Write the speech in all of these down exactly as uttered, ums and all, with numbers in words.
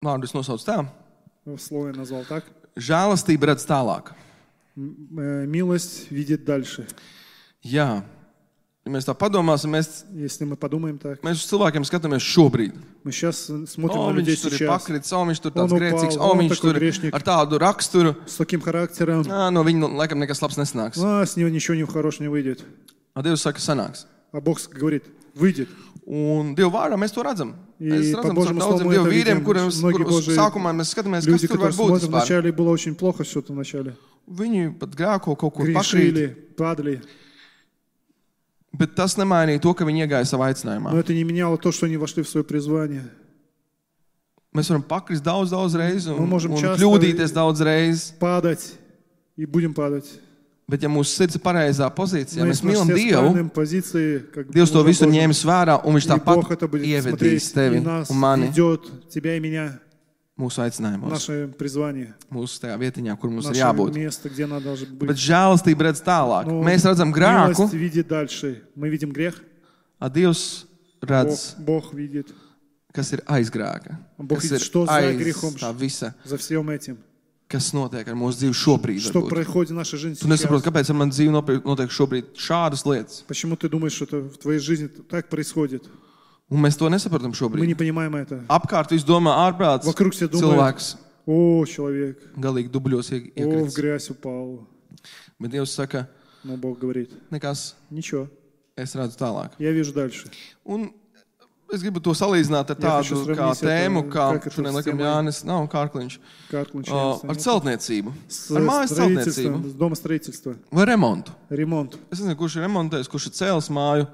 vārdu es nosaucu tā. Слово я назвал так. Žēlastība redz tālāk. Милость видит дальше. Jā. Ja mēs tā padomāsim, mēs, Если мы подумаем так, mēs uz cilvēkiem skatāmies šobrīd. мы сейчас смотрим O, на людей viņš tur ir сейчас pakrits, o, viņš tur tāds Он упал, grēcīgs, o, он viņš такой tur грешник. ar tādu raksturu. с таким характером. Ā, no viņa laikam nekas labs nesnāks. А, с него ничего не хорошего не выйдет. A Dievs saka, sanāks. А Бог говорит, выйдет. Un Dieva vārdā mēs to redzam. Mēs И по redzam caur Божьему daudziem слову мы Dieva это vīriem, видим. kuriem Многие kur, uz Божьи sākumā mēs skatāmies, kas люди, tur var которые būt смотрят, vispār. вначале было очень плохо что-то вначале. Viņi pat grēko kaut kur pakrīt. Грешили, падали. Bet tas nemainīja to, ka viņi iegāja savā aicinājumā. Но это не меняло то, что они вошли в свое призвание. Mēs varam pakrist daudz, daudz reizi un, Мы можем un часто kļūdīties daudz reizi. падать и будем падать. Bet ja mūsu sirds ir pareizā pozīcijā, Но mēs если мы mīlam все в Dievu, правильной позиции, как Dievs to Божий visu Бог, ņēmis vērā un viņš и Бог это tāpat будет ievedīs смотреть, tevi и нас un mani ведет, тебя и меня, mūsu aicinājumos, наше призвание, mūsu tajā vietiņā, kur mums ir наше jābūt. место, где надо должно быть. Bet žēlastība redz tālāk. Но Mēs redzam grēku, милость видит дальше. Мы видим грех, a Dievs Бог, redz, Бог видит. kas ir aiz grēka, Бог kas видит, ir что за aiz грехом, tā visa, за всем этим. kas notiek ar mūsu dzīvi šobrīd. Что varbūt. происходит в нашей жизни Tu nesaproti, сейчас. kāpēc ar mani dzīvi notiek- notiek šobrīd šādas lietas. Почему ты думаешь, что это в твоей жизни так происходит? Un mēs to nesaprotam Мы не šobrīd. понимаем это. Apkārt viss domā ārprāts, Вокруг все думают, cilvēks о, человек, galīgi dubļos ie- о, в iekrits. грязь упал. Bet Dievs saka, Но Бог говорит, nekas, ничего, es redzu tālāk. я вижу дальше. Un es gribu to salīdzināt ar Jā, tādu хочу kā сравнить это, tēmu, kā как это šodien с laikam темой. Jānis nav kārkliņš, Как o, начинается? ar celtniecību, С ar mājas строительством, celtniecību с домостроительства, vai remontu. ремонт. Es nezinu, kurš ir remontējis, kurš ir cēlis māju,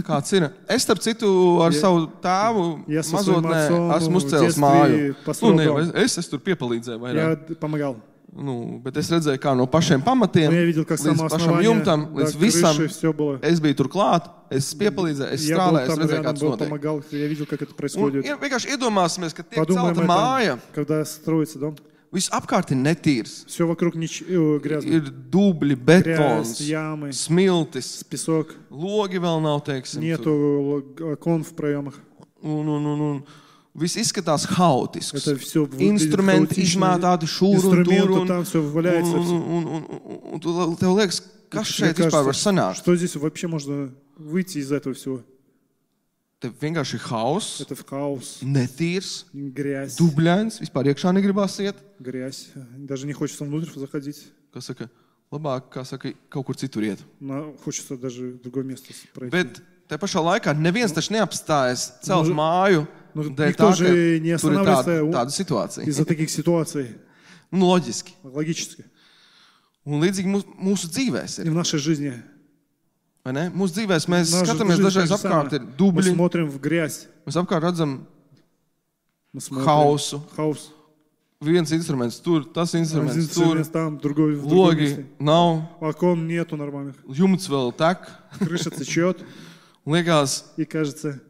kāds ir. Es, starp citu, ar Ja- savu tēvu Ja со своим mazotnē отцом esmu в uzcēlis детстве māju. Nu, построил ne, дом. es, es, es tur piepalīdzēju vairāk. Я помогал. Nu, bet es redzēju, kā no pašiem pamatiem Но я видел, как līdz само pašam основание, jumtam, до līdz visam. крыши все было. Es biju tur klāt, es piepalīdzēju, es Я был strādāju, es там redzēju, рядом, kāds был, notiek. помогал, я видел, как это Un происходит. ir- vienkārši iedomāsimies, ka tiek Подумаем celta māja, это, когда строится дом. viss apkārt ir netīrs. Все вокруг нич... э, грязно. Ir dubļi, Грязь, betons, ямы, smiltis, песок. logi vēl nav, teiksim. tur. Нету окон в проемах. Un, un, un, un viss izskatās haotisks. Это все Instrumenti izmētāti šur un tur. Инструменты Un, там все un, валяется. un, всё. un, un, un, un tu tev liekas, kas Тебе šeit vispār var кажется, sanākt? что здесь вообще можно выйти из этого всего? Tev vienkārši ir hauss, Это хаос, netīrs, грязь, dubļains, vispār iekšā negribās iet. грязь. Даже не хочется внутрь заходить. Kas saka, labāk, kā saka, kaut kur citur iet. Но хочется даже в другое место пройти. Bet te pašā laikā neviens taču neapstājas celt Nu, māju nu, dēļ никто tā, же не ka tur ir tāda, останавливается tāda situācija. из-за таких ситуаций. Nu, loģiski. Логически. Un līdzīgi mūsu, mūsu dzīvēs И ir. в нашей жизни. Vai ne? Mūsu dzīvēs mēs Наша skatāmies жизнь dažreiz так же apkārt, самое. ir Мы dubļi, смотрим в грязь. mēs apkārt redzam Мы смотрим хаосу. хаос. Viens instruments tur, tas Один instruments tur, инструмент там, другой в другом logi месте. nav, Окон нету нормальных. jumts vēl tek. Крыша течет. Un liekas, И кажется,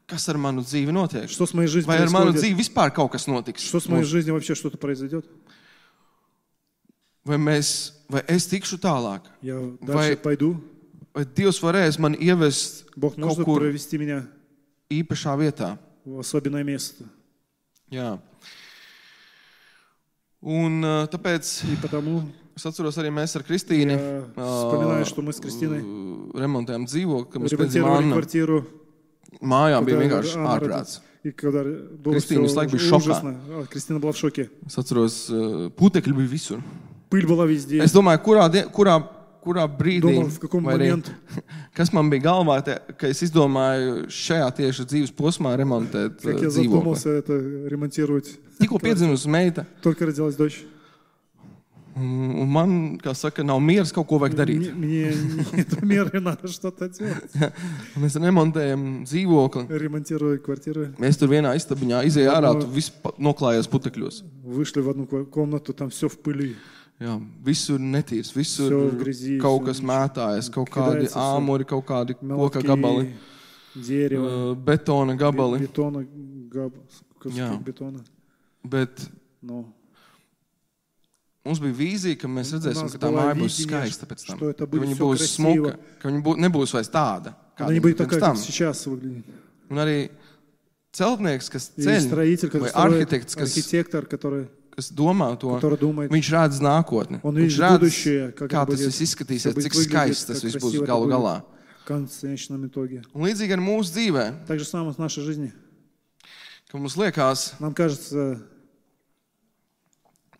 kas ar manu dzīvi notiek? что с моей жизнью Vai ar manu происходит? dzīvi vispār kaut kas notiks? Что с моей жизнью вообще что-то произойдет? Vai, mēs, vai es tikšu tālāk? Я Vai- дальше пойду. Vai Dievs varēs mani ievest Бог kaut может kur провести меня īpašā vietā? в особенное место. Jā. Un uh, tāpēc И потому es atceros arī mēs ar Kristīnu я вспоминаю, что мы с Кристиной remontējām dzīvokli, kad mums pēc ремонтировали Anna квартиру. mājā bija когда vienkārši Анна ārprāts. родилась. И когда было Кристина все visu laiku bija šokā. ужасно. А, Кристина была в шоке. Es atceros, uh, putekļi bija visur. Пыль была везде. Es domāju, kurā, die- kurā, kurā brīdī, Думал, в каком vai arī, момент kas man bija galvā, te, ka es izdomāju šajā tieši dzīves posmā remontēt как uh, я dzīvokli. задумался это ремонтировать. Tikko piedzimusi meita, Только родилась дочь. un un man, kā saka, nav miers, kaut ko vajag darīt. Мне, мне нет меры, надо что-то делать. Mēs remontējam dzīvokli. Ремонтировали квартиру. Mēs tur vienā istabiņā izējām ārā, No. tu viss pa- noklājies putekļos. Вышли в одну ко- комнату, там все в пыли. Jā, visur netīrs, visur Всё в грязи, kaut всё kas mētājas, kaut kādi кидается всё. āmuri, kaut kādi koka Мелкие gabali, дерево, uh, betona gabali. бетона, габ, куски Jā. бетона. Bet Но mums bija vīzija, ka mēs У redzēsim, нас ka tā была māja būs видение, skaista pēc tam. что это Ka будет viņa всё būs красиво. smuka, ka viņa bū, nebūs vairs tāda, она kāda не viņa будет bija такая, pirms как tam. сейчас выглядит. Un arī celtnieks, kas И ceļ, строитель, vai который строит, arhitekts, kas, архитектор, который, kas domā to, который думает, viņš redz nākotni. он Viņš видит redz, будущее, как kā это tas будет, viss izskatīsies, как будет cik выглядеть, skaists tas как viss būs красиво это galu будет galā. в конечном итоге. Un līdzīgi ar mūsu dzīvē, Так же самое в нашей жизни. ka mums liekas, Нам кажется,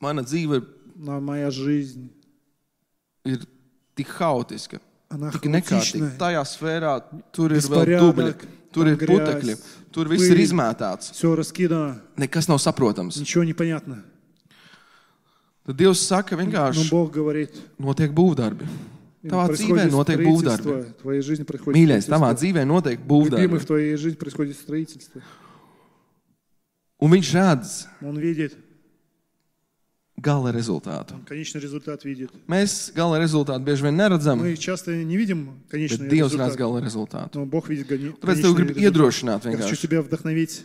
mana dzīve на- моя жизнь, ir tik haotiska, она tik nekārtīga. хаотичная, Tajā sfērā tur ir vēl dubļi, беспорядок, tur там ir putekļi, грязь, tur viss ir пыль, izmētāts. все раскидано, Nekas nav saprotams. ничего не понятно. Tad Dievs saka Но vienkārši, Бог говорит, notiek būvdarbi. и Tavā dzīvē происходит notiek būvdarbi. строительство, в твоей жизни происходит Mīļais, tavā строительство. dzīvē notiek Любимый, būvdarbi. в твоей жизни происходит строительство. Un viņš redz Он видит, gala rezultātu. он конечный результат видит. Mēs gala rezultātu bieži vien neredzam, Мы часто не видим bet конечный Dievs redz результат, gala rezultātu. но Бог видит гони- Tāpēc tev конечный grib результат. iedrošināt Я хочу vienkārši, тебя вдохновить,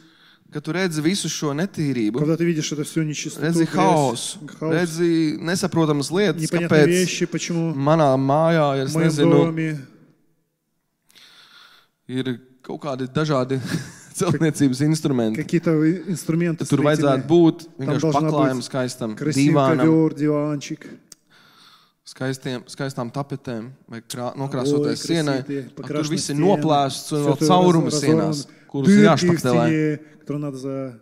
ka tu redzi visu šo netīrību, когда ты видишь это все нечистоту, redzi грязь, haosu, хаос, redzi nesaprotamas lietas, непонятные kāpēc вещи, почему manā mājā ir, в es моем nezinu, доме ir kaut kādi dažādi celtniecības instrumenti. какие-то инструменты Tur vajadzētu строительные, būt vienkārši должна paklājumam, быть skaistam красивый divānam, ковер, диванчик, skaistiem, skaistām tapetēm vai krā, Ой, nokrāsoties sienai. красивые, Un Tur покрашенные viss ir стены, noplēsts un всё vēl это caurumi раз- sienās, разорвано, kurus ir дырки в jāšpaktēlē. стене, которые надо за...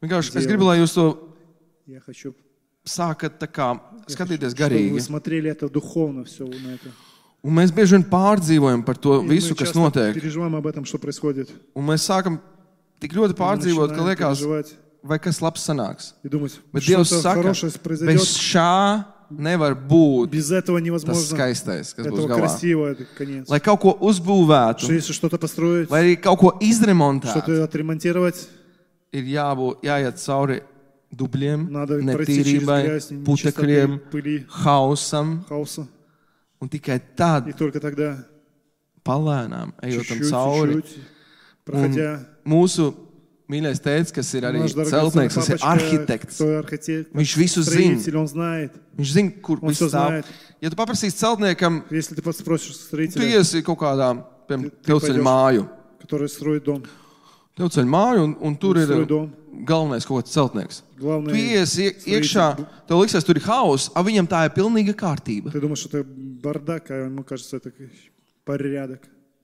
Vienkārši es gribu, lai jūs to Я хочу, sākat tā kā skatīties чтобы вы garīgi. смотрели это духовно все на это. Un mēs bieži vien pārdzīvojam par to И visu, мы kas часто notiek. переживаем об этом, что происходит. Un mēs sākam tik ļoti Мы pārdzīvot, ka начинаем liekas, переживать vai kas labs sanāks. и думать, Bet Dievs что-то saka, хорошее bez произойдет. šā nevar būt Без этого tas невозможно. skaistais, kas būs Этого galā. красиво, это конец. Lai kaut ko uzbūvētu, Что если что-то построить, vai arī kaut ko izremontētu, что-то отремонтировать, ir jābūt, jāiet cauri dubļiem, надо пройти через netīrībai, грязь, putekļiem, нечистоты, пыли, hausam, хаоса. un tikai tad, И только тогда, palēnām, ejot tam чуть-чуть, cauri, чуть-чуть, проходя, mūsu mīļais tēvs, kas ir arī наш дорогой celtnieks, kas ir папочка, arhitekts, кто архитектор, viņš visu zina. строитель, он знает. Viņš zina, kur Он viss всё stāv. знает. Ja tu paprasīsi celtniekam, Если ты спросишь tu строителя, iesi kaut kādā, piemēram, Tu- tu tevceļa paidoši. māju. который строит дом, Tevceļa māju, un, un tur ir строит дом, galvenais kaut kāds celtnieks. Tu главное, iesi ie- iekšā, tev liksies, tur ir hauss, a viņam tā ir pilnīga kārtība. ты думаешь, что это бардак, а ему кажется, это порядок.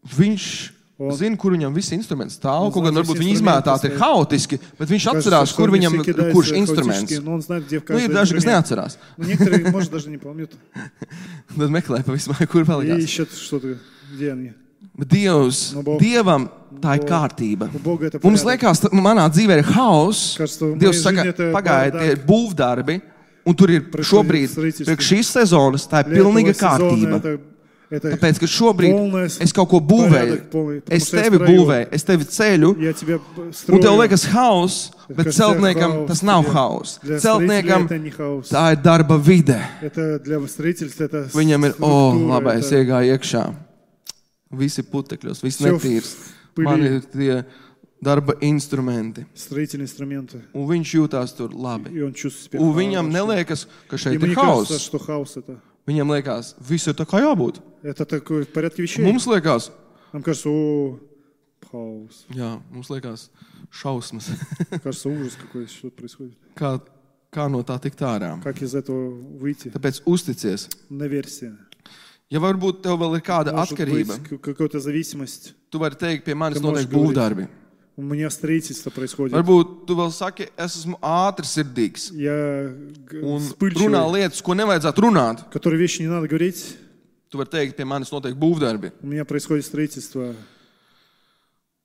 Viņš Un- zina, kur viņam visi instrumenti stāv. Un Kaut gan zina, varbūt visi viņi instrumenti izmētāti ir stāv. haotiski, bet viņš Кажется, atcerās, что kur они viņam все кидаются kurš хаотически, instruments. но он знает, где в Nu, ir каждый daži, kas инструмент. neatcerās. Но некоторые, может, даже не помнят. Tad meklē pa visu māju, kur И palikās. ищут что-то, где они. Bet Dievs, Nu, Bog- Dievam tā ir Bog- kārtība. У Бога это Mums порядок. liekas, ka manā dzīvē ir haoss. Кажется, в моей Dievs saka, жизни это pagaidiet, tie ir бардак. būvdarbi, un tur ir šobrīd, строительство. priekš šīs sezonas, tā ir Для pilnīga этого сезона kārtība. это- это Tāpēc, ka šobrīd полное es kaut ko būvēju, порядок полный, потому es что я tevi строю. būvēju, es tevi ceļu, Я тебя un строю. tev liekas haoss, bet Кажется, celtniekam хаос tas nav тебе. haoss. Для Celtniekam строителя это не хаос. tā ir darba vide. Это для строительства это Viņam ir, o, структура, labi, es это iegāju iekšā. Visi putekļos, viss Всё в netīrs. пыли. Man ir tie darba instrumenti. строительные инструменты. Un viņš jūtās tur labi. И он чувствует себя Un viņam хорошо. neliekas, ka šeit Ему ir не кажется, haoss. что хаос это. Viņam liekas, viss ir tā kā jābūt. Это такое в порядке вещей. Mums liekas, Нам кажется, о, хаос. jā, mums liekas šausmas. Кажется, ужас какой, что происходит. kā, kā no tā tikt ārā. Как из этого выйти? Tāpēc uzticies. Наверсия. Ja varbūt tev vēl ir kāda Может atkarība, быть, к- какая-то зависимость. tu vari teikt, pie manis Ka можешь notiek говорить. būvdarbi. У меня строительство происходит. Varbūt tu vēl saki, es esmu ātrsirdīgs Я г- un runā вспыльчивый, lietas, ko nevajadzētu runāt. которые вещи не надо говорить. Tu vari teikt, pie manis notiek būvdarbi. У меня происходит строительство.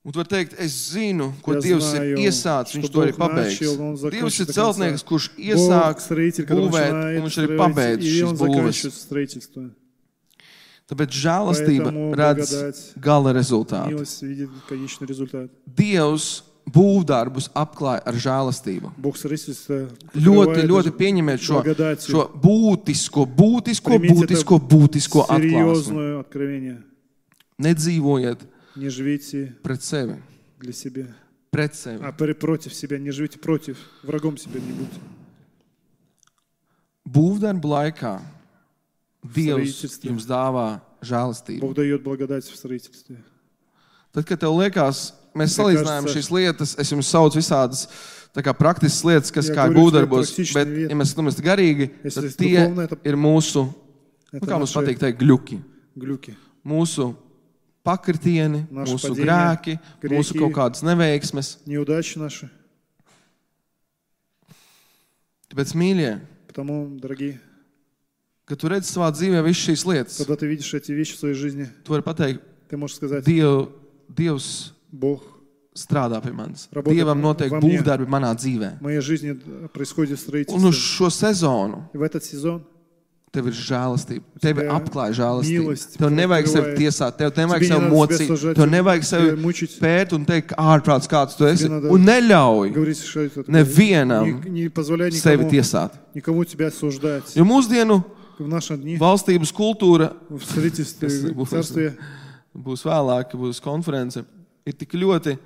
Un tu vari teikt, es zinu, ko Я Dievs знаю, ir iesācis, что viņš to arī Бог pabeigs. начал, он закончит Dievs ir до конца. celtnieks, kurš Бог iesāk строитель, который būvēt, начинает un viņš arī строить, pabeidz и šīs он būves. заканчивает строительство. Tāpēc žēlastība Поэтому redz благодать, gala rezultātu. Милость видит конечный результат. Dievs būvdarbus apklāja ar žēlastību. Бог строительство Ļoti, покрывает ļoti даже pieņemiet šo, благодатью. šo būtisko, būtisko, Примите būtisko, būtisko atklāsmi. серьезное откровение. Nedzīvojiet Не живите pret sevi, для себя, pret sevi. а пр- против себя. Не живите против, врагом себя не будьте. Būvdarbu laikā Dievs Строительстве. jums dāvā žēlastību. Бог дает благодать в строительстве. Tad, kad tev liekas, mēs salīdzinājām šīs lietas, es jums saucu visādas tā kā praktiskas lietas, kas Ja kā говорю, būvdarbos, prактичные bet, вещи. ja mēs skatāmies garīgi, Если tad есть tie духовно, это- ir mūsu, nu, Это kā mums наши patīk teikt, gļuki. глюки. Mūsu pakritieni, Naši mūsu padījumi, grēki, grēki. mūsu kaut kādas neveiksmes. Неудачи наши. Tāpēc, mīļie, Потому, дорогие, kad tu redzi savā dzīvē visas šīs lietas, когда ты видишь эти вещи в своей жизни, tu vari pateikt, ты можешь сказать, Diev, Dievs Бог, strādā pie manis. Работает Dievam notiek во мне. būvdarbi manā dzīvē. в моей жизни происходит Un uz строительство. šo sezonu И в этот сезон tev ir žēlastība. Tev Тебя apklāja žēlastība. mīlestība, Tev nevajag sevi открывает. tiesāt, tev nevajag Тебе не sevi надо себя mocīt, сажать, tev nevajag тебя sevi мучить. pēt un teikt, ka ārprāts kāds tu esi. надо Un neļauj говорить, что это такое. nevienam Не, не позволяй sevi никому, tiesāt. никому тебя осуждать. Jo mūsdienu В наши дни, valstības kultūra, в строительстве, Tas в būs- царстве, būs vēlāk, būs konference, ir tik ļoti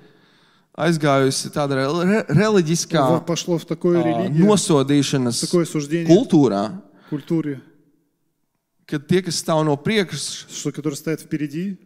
aizgājusi tāda re- reliģiskā пошло в такое ā, религия, nosodīšanas такое суждение kultūrā, культуре, kad tie, kas stāv no priekšas, что, которые стоят впереди,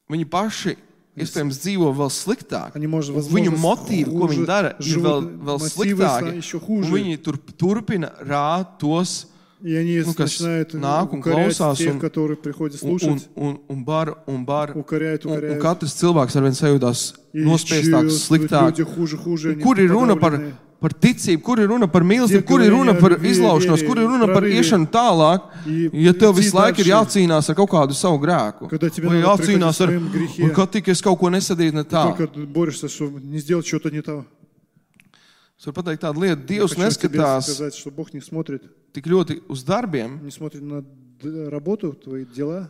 viņi paši iespējams dzīvo vēl sliktāk. они, может, Un viņu возможно, motīvi, ko viņi хуже dara, ir живут, vēl, vēl мотивы sliktāki. еще Un хуже. viņi tur, turpina rāt tos, И они ну, kas начинают nāk un укорять klausās тех, un- которые приходят un, un, слушать, un, un bar, un bar. укоряют, Un, un укоряют. katrs cilvēks arvien sajūtās И nospiestāks, чувствуют sliktāk. люди хуже, хуже, они Kur ir runa par, подавленные. par ticību, kur ir runa par mīlestību, Tie, kur ir runa kuri par ir vie- izlaušanos, vie- kur ir runa par pravīri. iešanu tālāk, И ja tev идти visu laiku ir дальше. jācīnās ar kaut kādu savu grēku. Когда тебе Vai надо jācīnās приходить ar, в своем грехе. un kad tik es kaut ko nesadīju ne tā. Только борешься, чтобы не сделать что-то не то. Es varu pateikt tādu lietu, Я Dievs хочу тебе neskatās сказать, что Бог не смотрит, tik ļoti uz darbiem, не смотрит на д- работу, твои дела,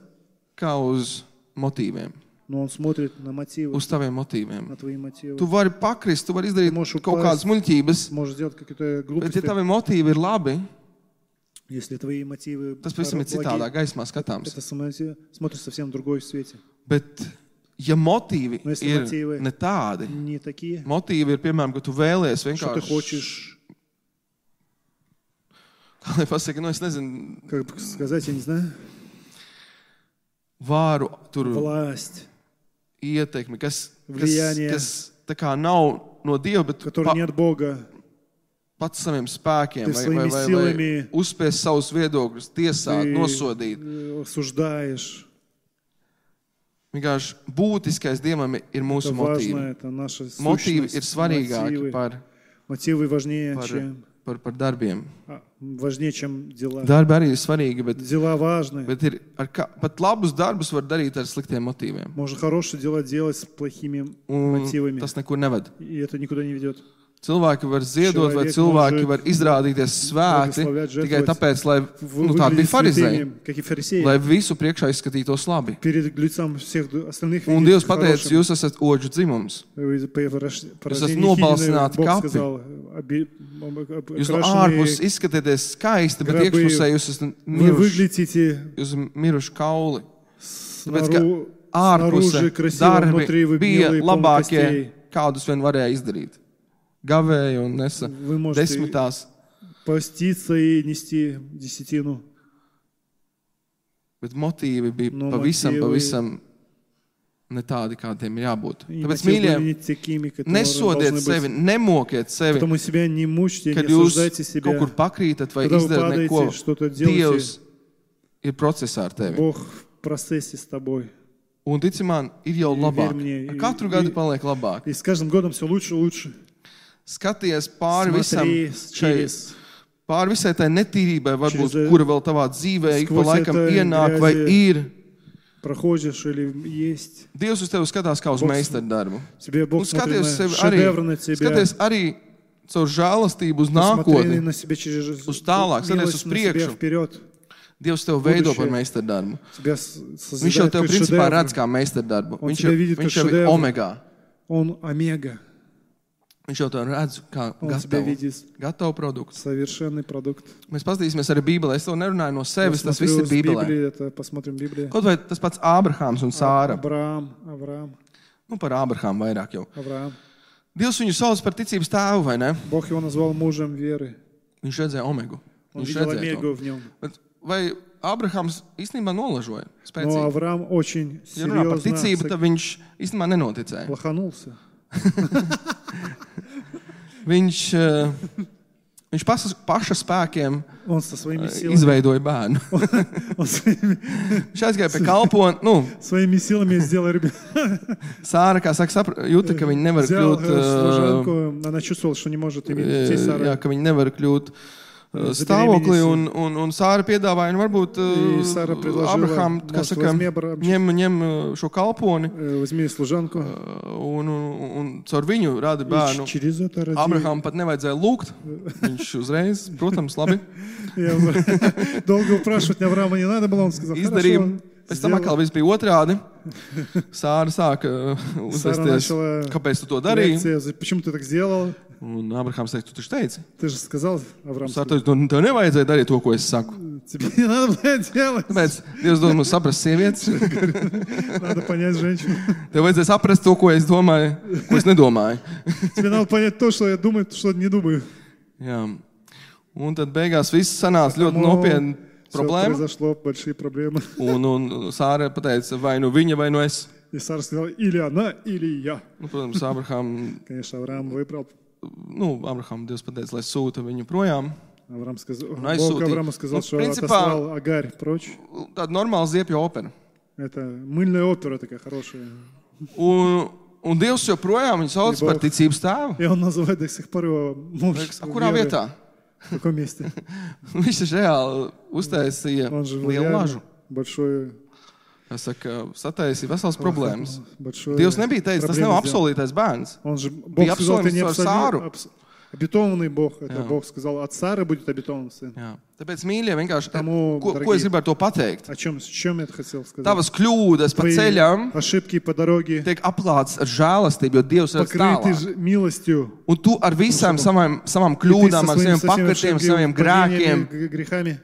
kā uz motīviem, но Он смотрит на мотивы, uz taviem motīviem. на твои мотивы. Tu vari pakrist, tu vari izdarīt Tu можешь kaut kādas упасть. muļķības, Можешь сделать какие-то bet ja глупости, tavi motīvi ir labi, если твои мотивы tas pavisam ir citādā благие. gaismā skatāms. Это само- смотришь совсем в другой свете. Bet, ja motīvi Nu, es ir motīvi- ne tādi, Не такие, motīvi ir, piemēram, ka tu vēlies что ты vienkārši, хочешь, kā lai pasaka, nu es nezinu, как бы сказать, я не знаю, vāru, tur власть, ietekmi, kas, kas, Влияние. kas tā kā nav no Dieva, bet который pa, не от Бога. pats saviem spēkiem Ты vai, vai, своими vai, vai силами- uzspies savus viedokļus, tiesāt, Ты nosodīt. э, осуждаешь. Vienkārši būtiskais Dievam ir mūsu Это важно, motīvi. это наша Motīvi ir сущность. svarīgāki Мотивы, par, мотивы важнее, par, чем, par, par darbiem. а, важнее, чем дела. Darbi arī ir svarīgi, bet, Дела важны. bet ir ar kā, pat labus darbus var darīt ar sliktiem motīviem. Можно хорошие дела делать с плохими Un мотивами. tas nekur neved. И это никуда не ведет. Cilvēki var ziedot, vai Человек cilvēki может var izrādīties svēti благословлять, tikai жертвовать. tāpēc, lai Вы nu, tādi bija выглядите farizēji, святыми, как и фарисеи. lai visu priekšā izskatītos labi. Перед лицом всех остальных Un видеть Dievs pateica, хорошим. jūs esat oģu dzimums. Вы по рож- по Jūs esat рождению nobalsināti Хинины, Бог kapi. сказал, оби- об- Jūs no окрашенные, ārpuses izskatāties skaisti, bet grabi. iekšpusē jūs esat вы miruši. выглядите Jūs esat miruši kauli. Tāpēc, ka снару- ārpuse снаружи красиво, darbi внутри вы bija белые, полны labākie, костей. kādus vien varēja izdarīt. Gavēja un nesa Вы можете desmitās, поститься и нести десятину. bet motīvi bija No pavisam, motīvi- pavisam ne tādi, kādiem ir jābūt. И Tāpēc, мотивы mīļie, были не такими, которые nesodiet должны sevi, быть. nemokiet sevi, Потому себя не мучьте, kad не jūs осуждайте себя. kaut kur pakrītat vai Когда вы izdarat падаете, neko. что-то делаете, Dievs ir procesā ar tevi. Бог в процессе с тобой. Un tici man, ir jau Ir labāk. virknie, Ar ir- katru ir- gadu paliek labāk. И с каждым годом все лучше и лучше. Skaties pāri visam, Смотри šai, через, pāri visai tai netīrībai, varbūt, Через, kura vēl tavā dzīvē ik pa skvos laikam etai ienāk vai grēzi. ir. проходишь или есть. Dievs uz tevi skatās kā uz Бог- meistardarbu. Тебе Бог Un смотрит skaties на sevi arī, шедевр на тебя. skaties arī caur žēlastību uz Посмотри nākotni. на себя через Uz tālāk, skaties милость uz на себя priekšu. вперед. Dievs tevi veido Будущее. par meistardarbu. Тебя с- Viņš jau созидает tev как principā шедевр. redz kā meistardarbu. Un Viņš тебя jau, видит viņš как jau ir šedevru. omegā. Он омега. Viņš jau tev redz kā Он тебя gatavu, видит. gatavu produktu. Совершенный продукт. Mēs paskatīsimies arī Bībelē. Es to nerunāju no sevis, tas viss Посмотрю ir с Bībelē. Библии, это посмотрим Библию. Kaut vai tas pats Ābrahāms un Sāra. Авраам, Авраам, Nu, par Ābrahāmu vairāk jau. Авраам. Dievs viņu sauc par ticības tēvu, vai ne? Бог его назвал мужем веры. Viņš redzēja omegu. Он Viņš видел redzēja to. омегу в нем. Bet vai Abrahams īstenībā nolažoja Но spēcīgi. Авраам очень Ja runā par серьезно ticību, tad viņš īstenībā nenoticēja. лоханулся. Viņš, uh, viņš paša, paša spēkiem Он со своими uh, силами, izveidoja bērnu. он своими, Viņš aizgāja pie kalpona. Nu, своими силами сделал ребенка. Sāra, kā saka, sapra, jūta, ka viņa nevar Взял kļūt, э, uh, служанку, она чувствовала, что не может иметь детей Сара. jā, ka viņa nevar kļūt uh, stāvoklī, un, un, un Sāra piedāvāja, nu, varbūt И Сара uh, предложила, Abraham, kā может, saka, возьми Абрам- ņem, ņem uh, šo kalponi, э, возьми служанку. uh, un, un, un caur viņu rada И bērnu. через это роди. Abraham pat nevajadzēja lūgt. Viņš uzreiz, protams, labi Я долго упрашивать Авраама не надо было, он сказал, izdarīja. хорошо. Pēc tam atkal viss bija otrādi. Sāra sāka uh, Сара uzvesties, начала kāpēc tu to darīji. лекция, почему ты так сделал? Un Abrahams teica, tu taču teici. Ты же сказал, Авраам, Sāra teica, tev tev nevajadzēja darīt to, ko es saku. тебе не надо было делать. Tāpēc Dievs dod mums saprast sievietes. Надо понять женщину. Tev vajadzēja saprast to, ko es domāju, ko es nedomāju. Тебе надо понять то, что я думаю, что не думаю. Jā. Un tad beigās viss sanāca ļoti Поэтому nopietna всё problēma. произошло, большие проблемы. Un, un Sāra pateica, vai nu viņa, vai nu es. И Сара сказала, или она, или я. Nu, protams, Abraham, Конечно, Авраам выбрал. nu, Abraham Dievs pateica, lai sūta viņu projām. Авраам сказал, Ну, Бог аizsūtīja. Аврааму сказал, Ну, что принципа- отослал Агарь прочь. Tāda normāla ziepju opera. Это мыльная опера такая хорошая. Un, un Dievs joprojām viņu sauc И par Бог. ticības tēvu. И он называет до сих пор его муж. Liekas, a, kurā веры. vietā? В каком месте? Viņš taču reāli uztaisīja Он же lielu lažu. большое, Es saku, sataisīja veselas problēmas. большое Dievs nebija teicis, tas nav проблемы сделал. apsolītais bērns. Он же, Бог Bija сказал, ты не apsolījums ar Sāru. абсоли- абс- обетованный Бог. Это Jā. Бог сказал, от Сары будет обетованный сын. Jā. Tāpēc, mīļie, vienkārši, Тому, ko, ko дорогие. es gribētu to pateikt? О чем, с чем я это хотел сказать? Tavas kļūdas pa Твои ceļam ошибки по дороге tiek aplāts ar žēlastību, jo Dievs redz покрыты tālāk. ж- милостью. Un tu ar visām savām, savām И ты kļūdām, со ar своими- saviem со всеми pakritiem, ошибками, saviem grēkiem, падениями, г- грехами,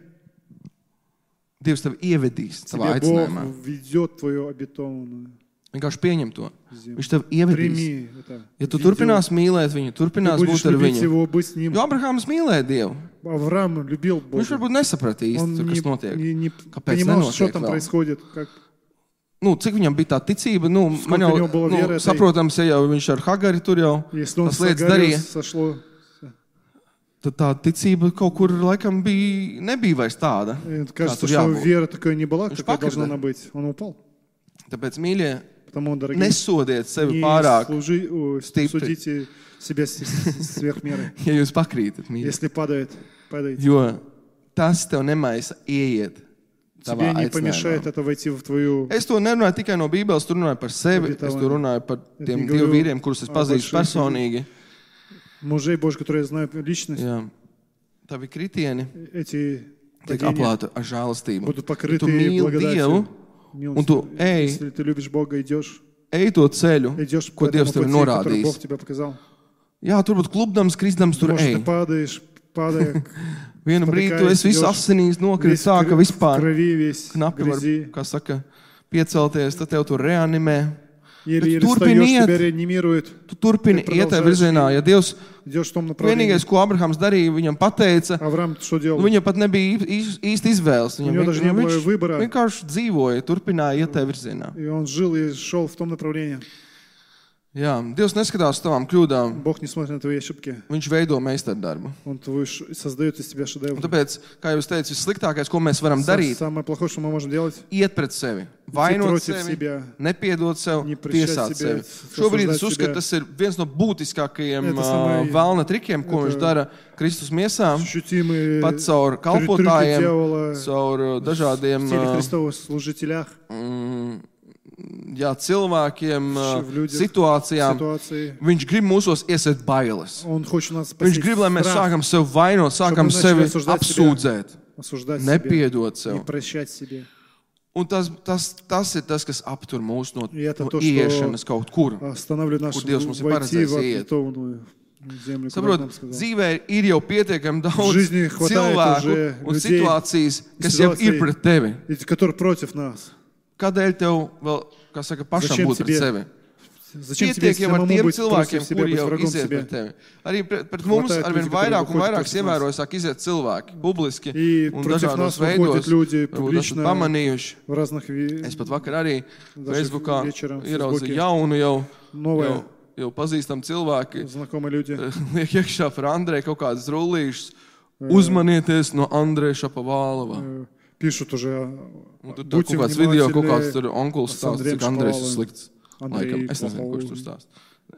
Dievs tevi ievedīs savā тебе Бог aicinājumā. ведет твою обетованную Vienkārši pieņem to. землю. Viņš tevi ievedīs. Прими это. Ja tu ведет. turpinās mīlēt viņu, Ты turpinās будешь būt ar любить viņu. его, быть с ним. Jo Abrahāms mīlēja Dievu. Авраам любил Бога. Viņš varbūt nesaprata Он īsti, tur, не, kas notiek. не- не Kāpēc понимал, что nenotiek там vēl? происходит. Как... Nu, cik viņam bija tā ticība, nu, Сколько man jau, у него было nu, веры, tai- saprotams, ja jau viņš ar Hagari tur jau Если он tas с lietas Агарью darīja, сошло, tad tā ticība kaut kur laikam bija, nebija vairs tāda. э, kā кажется, tur что jābūt. вера такая не была, Viņš какая pakrita. должна она быть. Он упал. Tāpēc, mīļie, Потому, дорогие, nesodiet sevi не pārāk, служи- о, стипри. судите себя с- с- сверх меры. ja jūs pakrītat, mīļie. Если падает, падает. Jo tas tev nemaisa ieiet tavā Тебе не помешает aicinājumā. это войти в твою... Es to nerunāju tikai no Bībeles, tur runāju par sevi. Обетование. Es to runāju par Это tiem не dievu говорю vīriem, kurus es о pazīstu больших personīgi. Мужей Божьих, которые знают личность, Jā. Tavi kritieni эти tiek падения aplāti ar žēlastību. будут Ja покрыты tu mīli благодатью. Dievu, Милостью. un tu ej, Если ты любишь Бога, идешь, ej to ceļu, идешь ko по этому Dievs tev пути, ir который Бог norādījis. тебе показал. Jā, tur būtu klubdams, kristams, tur Может, ты ej. падаешь, падая, Vienu brīdi tu esi viss idешь, asinīs nokrits весь tā, в ka vispār крови, весь в knapi var, грязи. kā saka, piecelties, tad tev tur reanimē. Еле-еле turpini встаешь, iet. тебя реанимируют. Tu turpini Tu iet tajā продолжаешь virzienā. Ja Dievs Идешь в том направлении. vienīgais, ko Abrahams darīja, viņam pateica, Авраам что делал? viņam pat nebija ī- īsti izvēles. Viņam него даже не было viņš выбора. vienkārši dzīvoja, turpināja iet tajā virzienā. И он жил и шел в том направлении. Jā, Dievs neskatās uz tavām kļūdām. Бог не смотрит на твои ошибки. Viņš veido meistardarbu. Он твой ш- создает из тебя Un шедевр. tāpēc, kā jau es teicu, vissliktākais, ko mēs varam Са- darīt, Самое плохое, что мы можем делать, iet pret sevi, vainot против sevi, себя. nepiedot sev, Не прощать tiesāt себя, sevi. Šobrīd es осуждать uzskatu, себя. tas ir viens no būtiskākajiem Это ā, самое- vēlna trikiem, ko это viņš dara Kristus miesām, ощутимые pat caur трюки kalpotājiem, дьявола caur ā, dažādiem в теле ā, Христова служителях, mm, jā, cilvēkiem, ā, в людях, situācijām. ситуации. Viņš grib mūsos iesēt bailes. Он хочет нас Viņš спасти grib, lai mēs страх, sākam sevi vainot, sākam мы sevi начали осуждать apsūdzēt, осуждать себя, nepiedot не sev. прощать себе. Un tas, tas, tas ir tas, kas aptur mūs no, И это no то, что ieiešanas kaut kur. Останавливает нас, Kur Dievs mums ir войти в paredzējis iet. обетованную землю, куда Saprot, нам сказал. dzīvē ir jau pietiekami daudz жизни хватает cilvēku уже un людей situācijas, и kas jau ситуаций, ir pret tevi. эти, которые против нас. Kādēļ tev vēl, kā saka, pašam Зачем būt pret тебе sevi? Зачем тебе Pietiek jau ar самому tiem быть против cilvēkiem, себя, kuri быть jau врагом iziet себе? pret tevi. Arī pret, pret mums Хватает arvien людей, которые vairāk un выходят vairāk против нас. ievēroju, sāk iziet cilvēki, publiski И un против dažādos нас veidos. выходят люди Varbūt esat публично pamanījuši. в разных ви- Es pat vakar arī Даже Facebookā вечером в ieraudzīju Фейсбуке jaunu, jau, новые jau, jau pazīstam cilvēki. знакомые люди. Liek iekšā par Andreju kaut kādas rullīšas. Uzmanieties no Andreja Šapovalova. э, Пишут уже, Un tur tā будьте kaut kāds video, kaut kāds внимательны. tur onkuls с stāsta, Андреем cik Andrejs ir Šapovalovым. slikts. Андрей Laikam, es nezinu, плохого. kurš tur stāsta.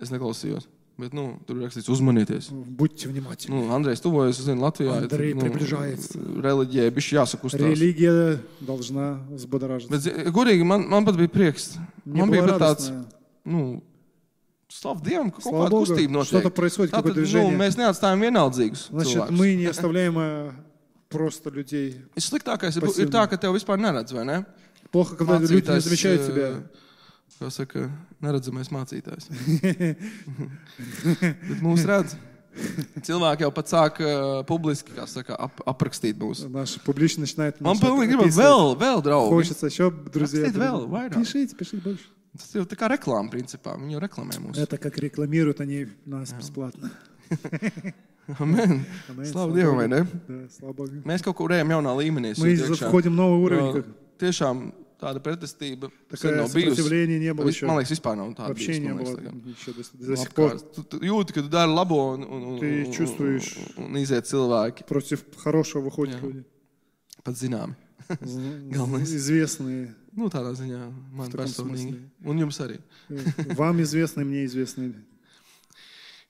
Es neklausījos. Bet, nu, tur ir rakstīts uzmanieties. Будьте внимательны. Nu, Andrejs tuvojas, es zinu, Latvijā. Андрей nu, приближается. reliģijai bišķi jāsakustās. Религия должна взбодоражиться. Bet, zi- godīgi, man, man pat bija prieks. Мне Man было bija pat tāds, радостно. nu, slavu Dievam, ka kaut Слава kāda Богу, kustība что-то notiek. происходит, Tātad, какое-то nu, движение. mēs neatstājam vienaldzīgus Значит, cilvēkus. мы не оставляем э, просто людей. Sliktākais ir, Pasīvi. ir tā, ka tev vispār neredz, vai ne? Плохо, когда люди не Mācītājs, замечают eh, тебя. Kā saka, neredzamais mācītājs. Bet mūs redz. Cilvēki jau pat sāk uh, publiski, kā saka, ap, aprakstīt mūs. Наш публично начинает Man начинает pilnīgi gribas описывать. vēl, vēl draugi. Хочется еще друзей. Rakstīt vēl, vairāk. Пишите, пишите больше. Tas jau tā kā reklāma, principā. Viņi jau reklamē mūs. Это как рекламируют они нас бесплатно. Amen. Amen. Slavu Dievam, vai ne? Да, слава Богу. Mēs kaut kur ejam jaunā līmenī. Мы sūt iekšā. входим в новый уровень. Uh, Как Tiešām tāda pretestība sen такое nav bijusi. сопротивления не было Vis- еще. Man liekas, vispār nav tāda Вообще не bijusi, man было liekas, tagad. еще до, до сих пор. Apkārt. Tu, tu jūti, ka tu dari labo un, un, un, Ты un, чувствуешь. un, un iziet cilvēki. Против хорошего выходят Jā. люди. Pat zināmi. З- Galvenais. Известные. Nu, tādā ziņā man В таком personīgi. смысле. Un jums arī. Вам известные, мне известные.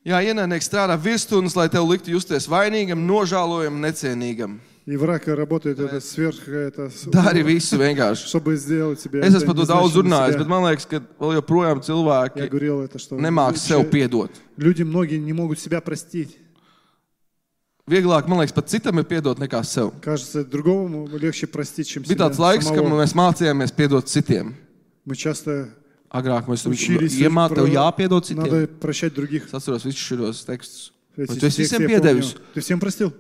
Jā, ienaidnieks strādā virsstundas, lai tev liktu justies vainīgam, nožēlojam, necienīgam. И враг работает это сверх, это, с- Dari visu vienkārši. чтобы сделать тебя. Es это esmu par to не daudz значит на runājis, себя. bet man liekas, ka vēl joprojām Я cilvēki говорил это, что nemāk sev лучше- piedot. люди многие не могут себя простить. Vieglāk, man liekas, pat citam ir piedot nekā sev. Кажется, другому легче простить, чем Bija себя tāds laiks, kad самого. mēs mācījāmies piedot citiem. Мы часто Agrāk mēs tur учились iemācījāmies, tev про- jāpiedod citiem. надо прощать других. Es atceros visus šos tekstus. Эти Vai tu esi тексты visiem я piedevis? помню. Ты всем простил?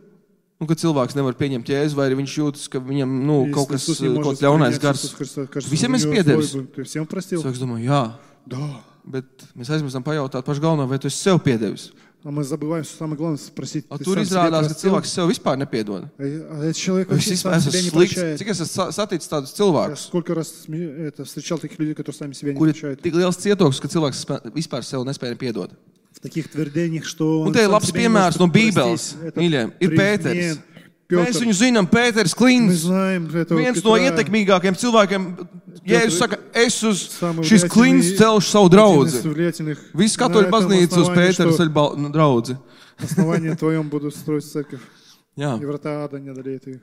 Nu, kad cilvēks nevar pieņemt jēzu, vai arī viņš jūtas, ka viņam nu, Если kaut kas Иисус не kaut может ļaunais принять gars. Иисуса Христа, кажется, Visiem у esi него piedevis? свой был. Ты всем простил? Cilvēks domā, jā, Да. bet mēs aizmirstam pajautāt pašu galveno, vai tu esi sev piedevis. А мы забываем, что самое главное спросить. A Ты tur сам себе izrādās, ka простил? cilvēks sev vispār nepiedod. А а этот человек Es вообще vispār сам себя esmu не slikts. прощает. Cik es esmu sa- saticis tādus Я cilvēkus, сколько раз сме- это, встречал таких людей, которые сами себя не kuri ir прощают. tik liels cietoks, ka cilvēks spē- vispār sev nespēja piedot. В таких твердениях, что Un он te ir сам labs себя не piemērs может no простить. Bībeles. Это Mīļie, ir при- Pēters. нет, Mēs Петр. viņu zinām, Pēters Мы Klins. знаем этого Viens no Петра. ietekmīgākajiem cilvēkiem. Jēzus saka, es uz Самый šis klins влиятельный- celšu savu один draudzi. из влиятельных. Visi На katoļu этом baznīca uz основании, Pētera что ceļu draudzi. основание твоем будут строить церковь. Jā. И врата ада не одолеют их.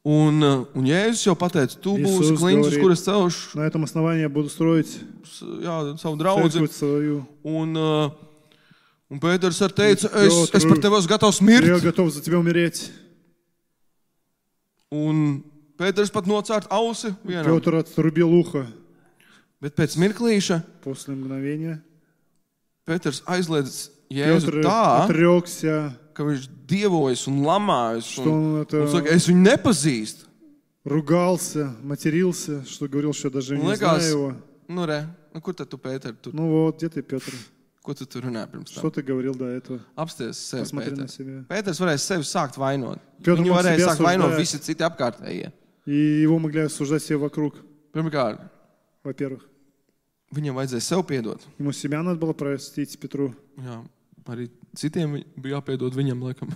Un, uh, un Jēzus jau pateica, tu būsi Jēzus klins, uz говорит, kuras celšu На этом основании я буду строить s- jā, savu draudzi. церковь свою. Un, uh, un Pēters arī teica, es, Piotr, es par tevi esmu gatavs Я mirt. готов за тебя умереть. Un Pēters pat nocērt ausi vienam. Петр отрубил ухо Bet pēc mirklīša после mгновения. Pēters aizliedz Jēzu Петр tā, отрекся, ka viņš dievojas un lamājas. что Un, он это un saka, es viņu nepazīstu. ругался, матерился, что говорил, что даже Un не liekas, знаю его. nu re, nu kur tad tu, Pēter, tur, Ну вот, где ты, Петр? ko tu tur runā pirms Что tam? ты говорил до этого? Apsties sevi, Посмотри на Pēters. себя. Pēters varēja sevi sākt vainot. Pēters Viņu mог varēja себя sākt vainot осуждать. visi citi apkārtējie. И его могли осуждать все вокруг, Pirmkārt, во-первых. viņam vajadzēja sev piedot. Ему себя надо было простить, Петру. Jā, arī citiem vi- bija jāpiedod viņam, laikam.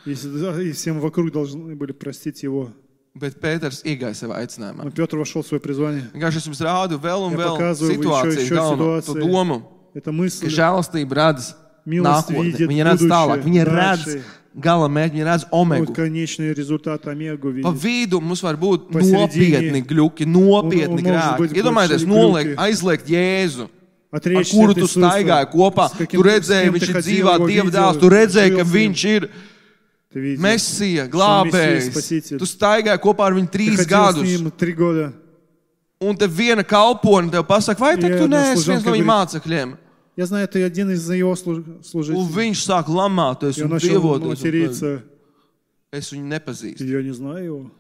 И, да, и всем вокруг должны были простить его. Bet Pēters iegāja savā aicinājumā. Но Петр вошел в свое призвание. Vienkārši es jums rādu vēl un Ja vēl pokazuju situāciju, еще- еще galveno, situāciju. to domu, Это ka мысль, žēlastība redz милость nākotni. видит Viņa redz tālāk, будущее, viņa redz дальше. gala mērķi, viņa redz omegu. Вот конечный результат Омегу Pa видит. vidu mums var būt Посередине. nopietni gļuki, nopietni Un- un может быть grēki. Iedomājieties, большие noliegt, gļuki. aizliegt Jēzu, ar Отречься kuru от tu Иисуса, staigāji kopā. с каким- Tu redzēji, с кем viņš ты ir ходил, dzīvā его Dieva видел, dēls, tu redzēji, жил ka с ним. viņš ir Ты видел. Mesija, Мессия, glābējs. Spasитель. Tu staigāji kopā ar viņu Ты trīs ходил с gadus. ним три года. Un te viena kalpone tev pasaka, vai tad Ja tu no neesi viens služanka no viņa говорит, mācekļiem? Я знаю, ты один из его служ- Un служителей. viņš sāk lamāties И un он начал dievoties. un материться. Es viņu nepazīstu. Я не знаю его.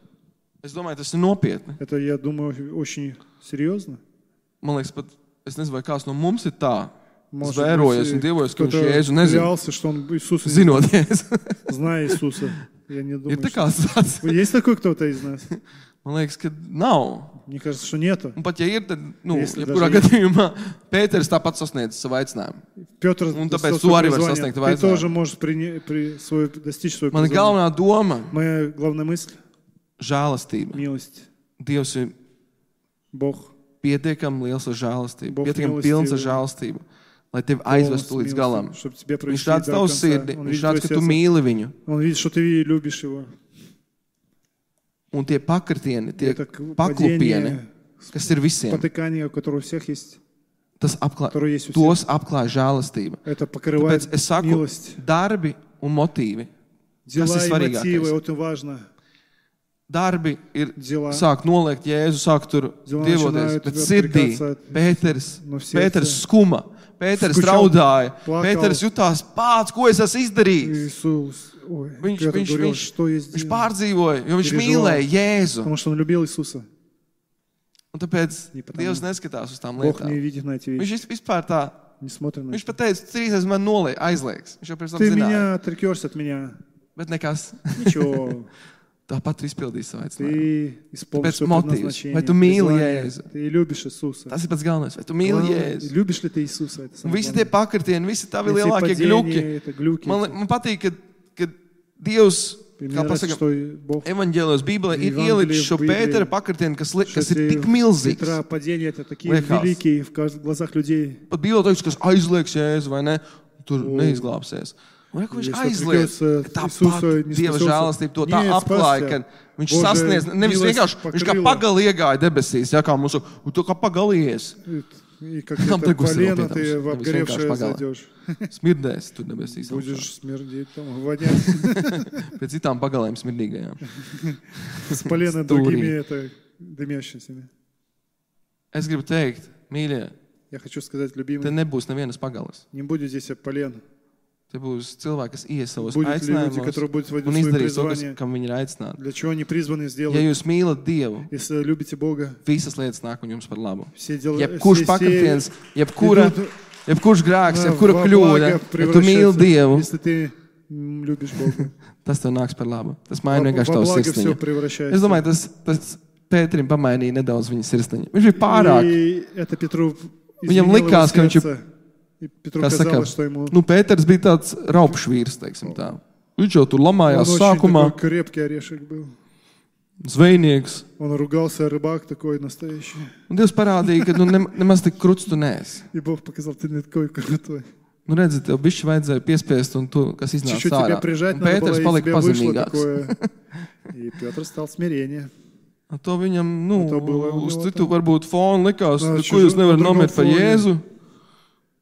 Es domāju, tas ir nopietni. Это, я думаю, очень серьезно. Man liekas, pat es nezinu, vai kāds no mums ir tā. Может zvērojies un быть, dievojies, ka viņš кто-то Jēzu nezina. клялся, что он Иисуса не Zinot Jēzu. зная Иисуса. Я не Ir думаю, tā что... kā tāds. Есть такой кто-то из нас? Man liekas, ka nav. Мне кажется, что нету. Un pat ja ir, tad, nu, Если jebkurā даже gadījumā Pēters tāpat sasniedz savu aicinājumu. Петр Un tāpēc достиг tu arī vari призвания. sasniegt Ты vajadzinājumu. тоже можешь при, при, свой, достичь своего Mana призвания. galvenā doma Моя главная мысль - žēlastība. – милость. Dievs ir Бог. pietiekami liels ar žēlastību, Бог pietiekami милостивый. pilns ar žēlastību, lai tevi aizvestu līdz galam. Чтобы тебя Viņš провести redz до tavu конца. sirdi, Он viņš видит redz, твое ka tu сердце. mīli viņu. Он видит, что ты любишь его. Un tie pakritieni, tie Это paklupieni, падение, kas ir visiem, потыкание, у которого у всех есть, tas apklā, которое есть у всех. tos apklāja žēlastība. Это покрывает Tāpēc es saku, милость. darbi un motīvi. Дела Kas ir и мотивы, svarīgākais? это важно. Darbi ir Дела. sāk noliegt Jēzu, sāk tur Dievam dievoties, начинают bet sirdī отвлекаться от- Pēters, no сердца. Pēters skuma, Pēters Skučal, raudāja, plakal. Pēters jutās pats, ko es esmu izdarījis. Иисус, ой, Viņš, Петр viņš, говорил, viņš, что я viņš сделал? pārdzīvoja, jo viņš Переживал. mīlēja Jēzu. Потому что он любил Иисуса. Un tāpēc Не потому. Dievs neskatās uz tām Бог lietām. не видит на эти Viņš вещи, vis- vispār tā, не смотрит на viņš это. pat teica, trīsreiz man nolēja, aizliegs. Viņš jau pirms tam Ты zināja. меня отрекешься от меня. Bet nekas. Ничего. Tāpat tu izpildīji savu aicinājumu. Ты исполнишь Tāpēc свое motīvs. предназначение. Vai tu mīli призвание. Jēzu? Ты любишь Иисуса. Tas ir pats galvenais. Vai tu mīli Главное, Jēzu? любишь ли ты Иисуса? Это Un самое visi tie главное. pakritieni, visi tavi Эти lielākie gļuki. падения, это глюки. Man, li- man patīk, ka, ka Dievs, И мне kā нравится, pasaka, что Бог evaņģēlijos Bībelē ir Evangelija ielicis šo в Библии, Pētera pakritienu, kas, li, что kas ir эти tik milzīgs. Петра падения, это такие Liekas. великие в кажд- глазах людей. Pat Bībelē teiks, kas aizliegs Jēzu, vai ne? Tur neizglābsies. Un re, ko viņš Если aizliedz, отрекется ka Иисуса, tāpat не Dieva спасется. žēlastība to tā Нет, apklāja, спасся. ka viņš Божья sasniedz, nevis милость vienkārši, viņš kā покрыла. pagali iegāja debesīs, ja kā mūsu, un tu kā pagalījies. И как Там это такой полено, сироп, ты там, в там обгоревшее весь погал. зайдешь. Smirdēs tur debesīs. augšā. Будешь смердеть, там, вонять. Pēc citām pagalēm smirdīgajām. С полена Стурī. другими это дымящимися. Es gribu teikt, mīļie, Я хочу сказать, te любимый, nebūs nevienas pagalas. не будет здесь полен. Te būs cilvēki, kas ies savos Будут люди, aicinājumos которые будут вводить un свои izdarīs to, kas, призвания. kam viņi ir aicināti. Для чего они призваны Ja сделать? jūs mīlat Dievu, Если любите Бога, visas lietas nāk un jums par labu. все дела, Jebkurš pakritiens, jebkura, идут jebkurš grēks, на- jebkura во kļūda, благо ja tu mīli превращаются, Dievu, если ты м, любишь Бога. tas tev nāks par labu. Tas Во maina vienkārši во tavu благо все sirsniņu. Es превращается. domāju, tas, tas Pēterim pamainīja nedaudz viņa sirsniņu. Viņš bija pārāk. И это Петру Viņam изменило likās, его ka viņš ir, сердце. И Петру kā saka, казалось, что ему nu, Pēters bija tāds raupšs vīrs, teiksim tā. Viņš jau tur он lamājās очень sākumā, такой крепкий орешек был. zvejnieks. Он ругался, рыбак такой настоящий. Un Dievs parādīja, ka nu, ne, nemaz tik kruts tu neesi. И Бог показал, ты не такой крутой. Nu, redzi, tev bišķi vajadzēja piespiest, un tu, kas iznāca Чуть-чуть тебя ārā. прижать Un надо было, Pēters и palika тебе вышло pazemīgāks. такое. И Петр стал смирение. Un to viņam, nu, Un to было у uz него citu tā. varbūt fonu likās, Na, ko čužu- jūs nevarat na drugom nomirt par fone. Jēzu.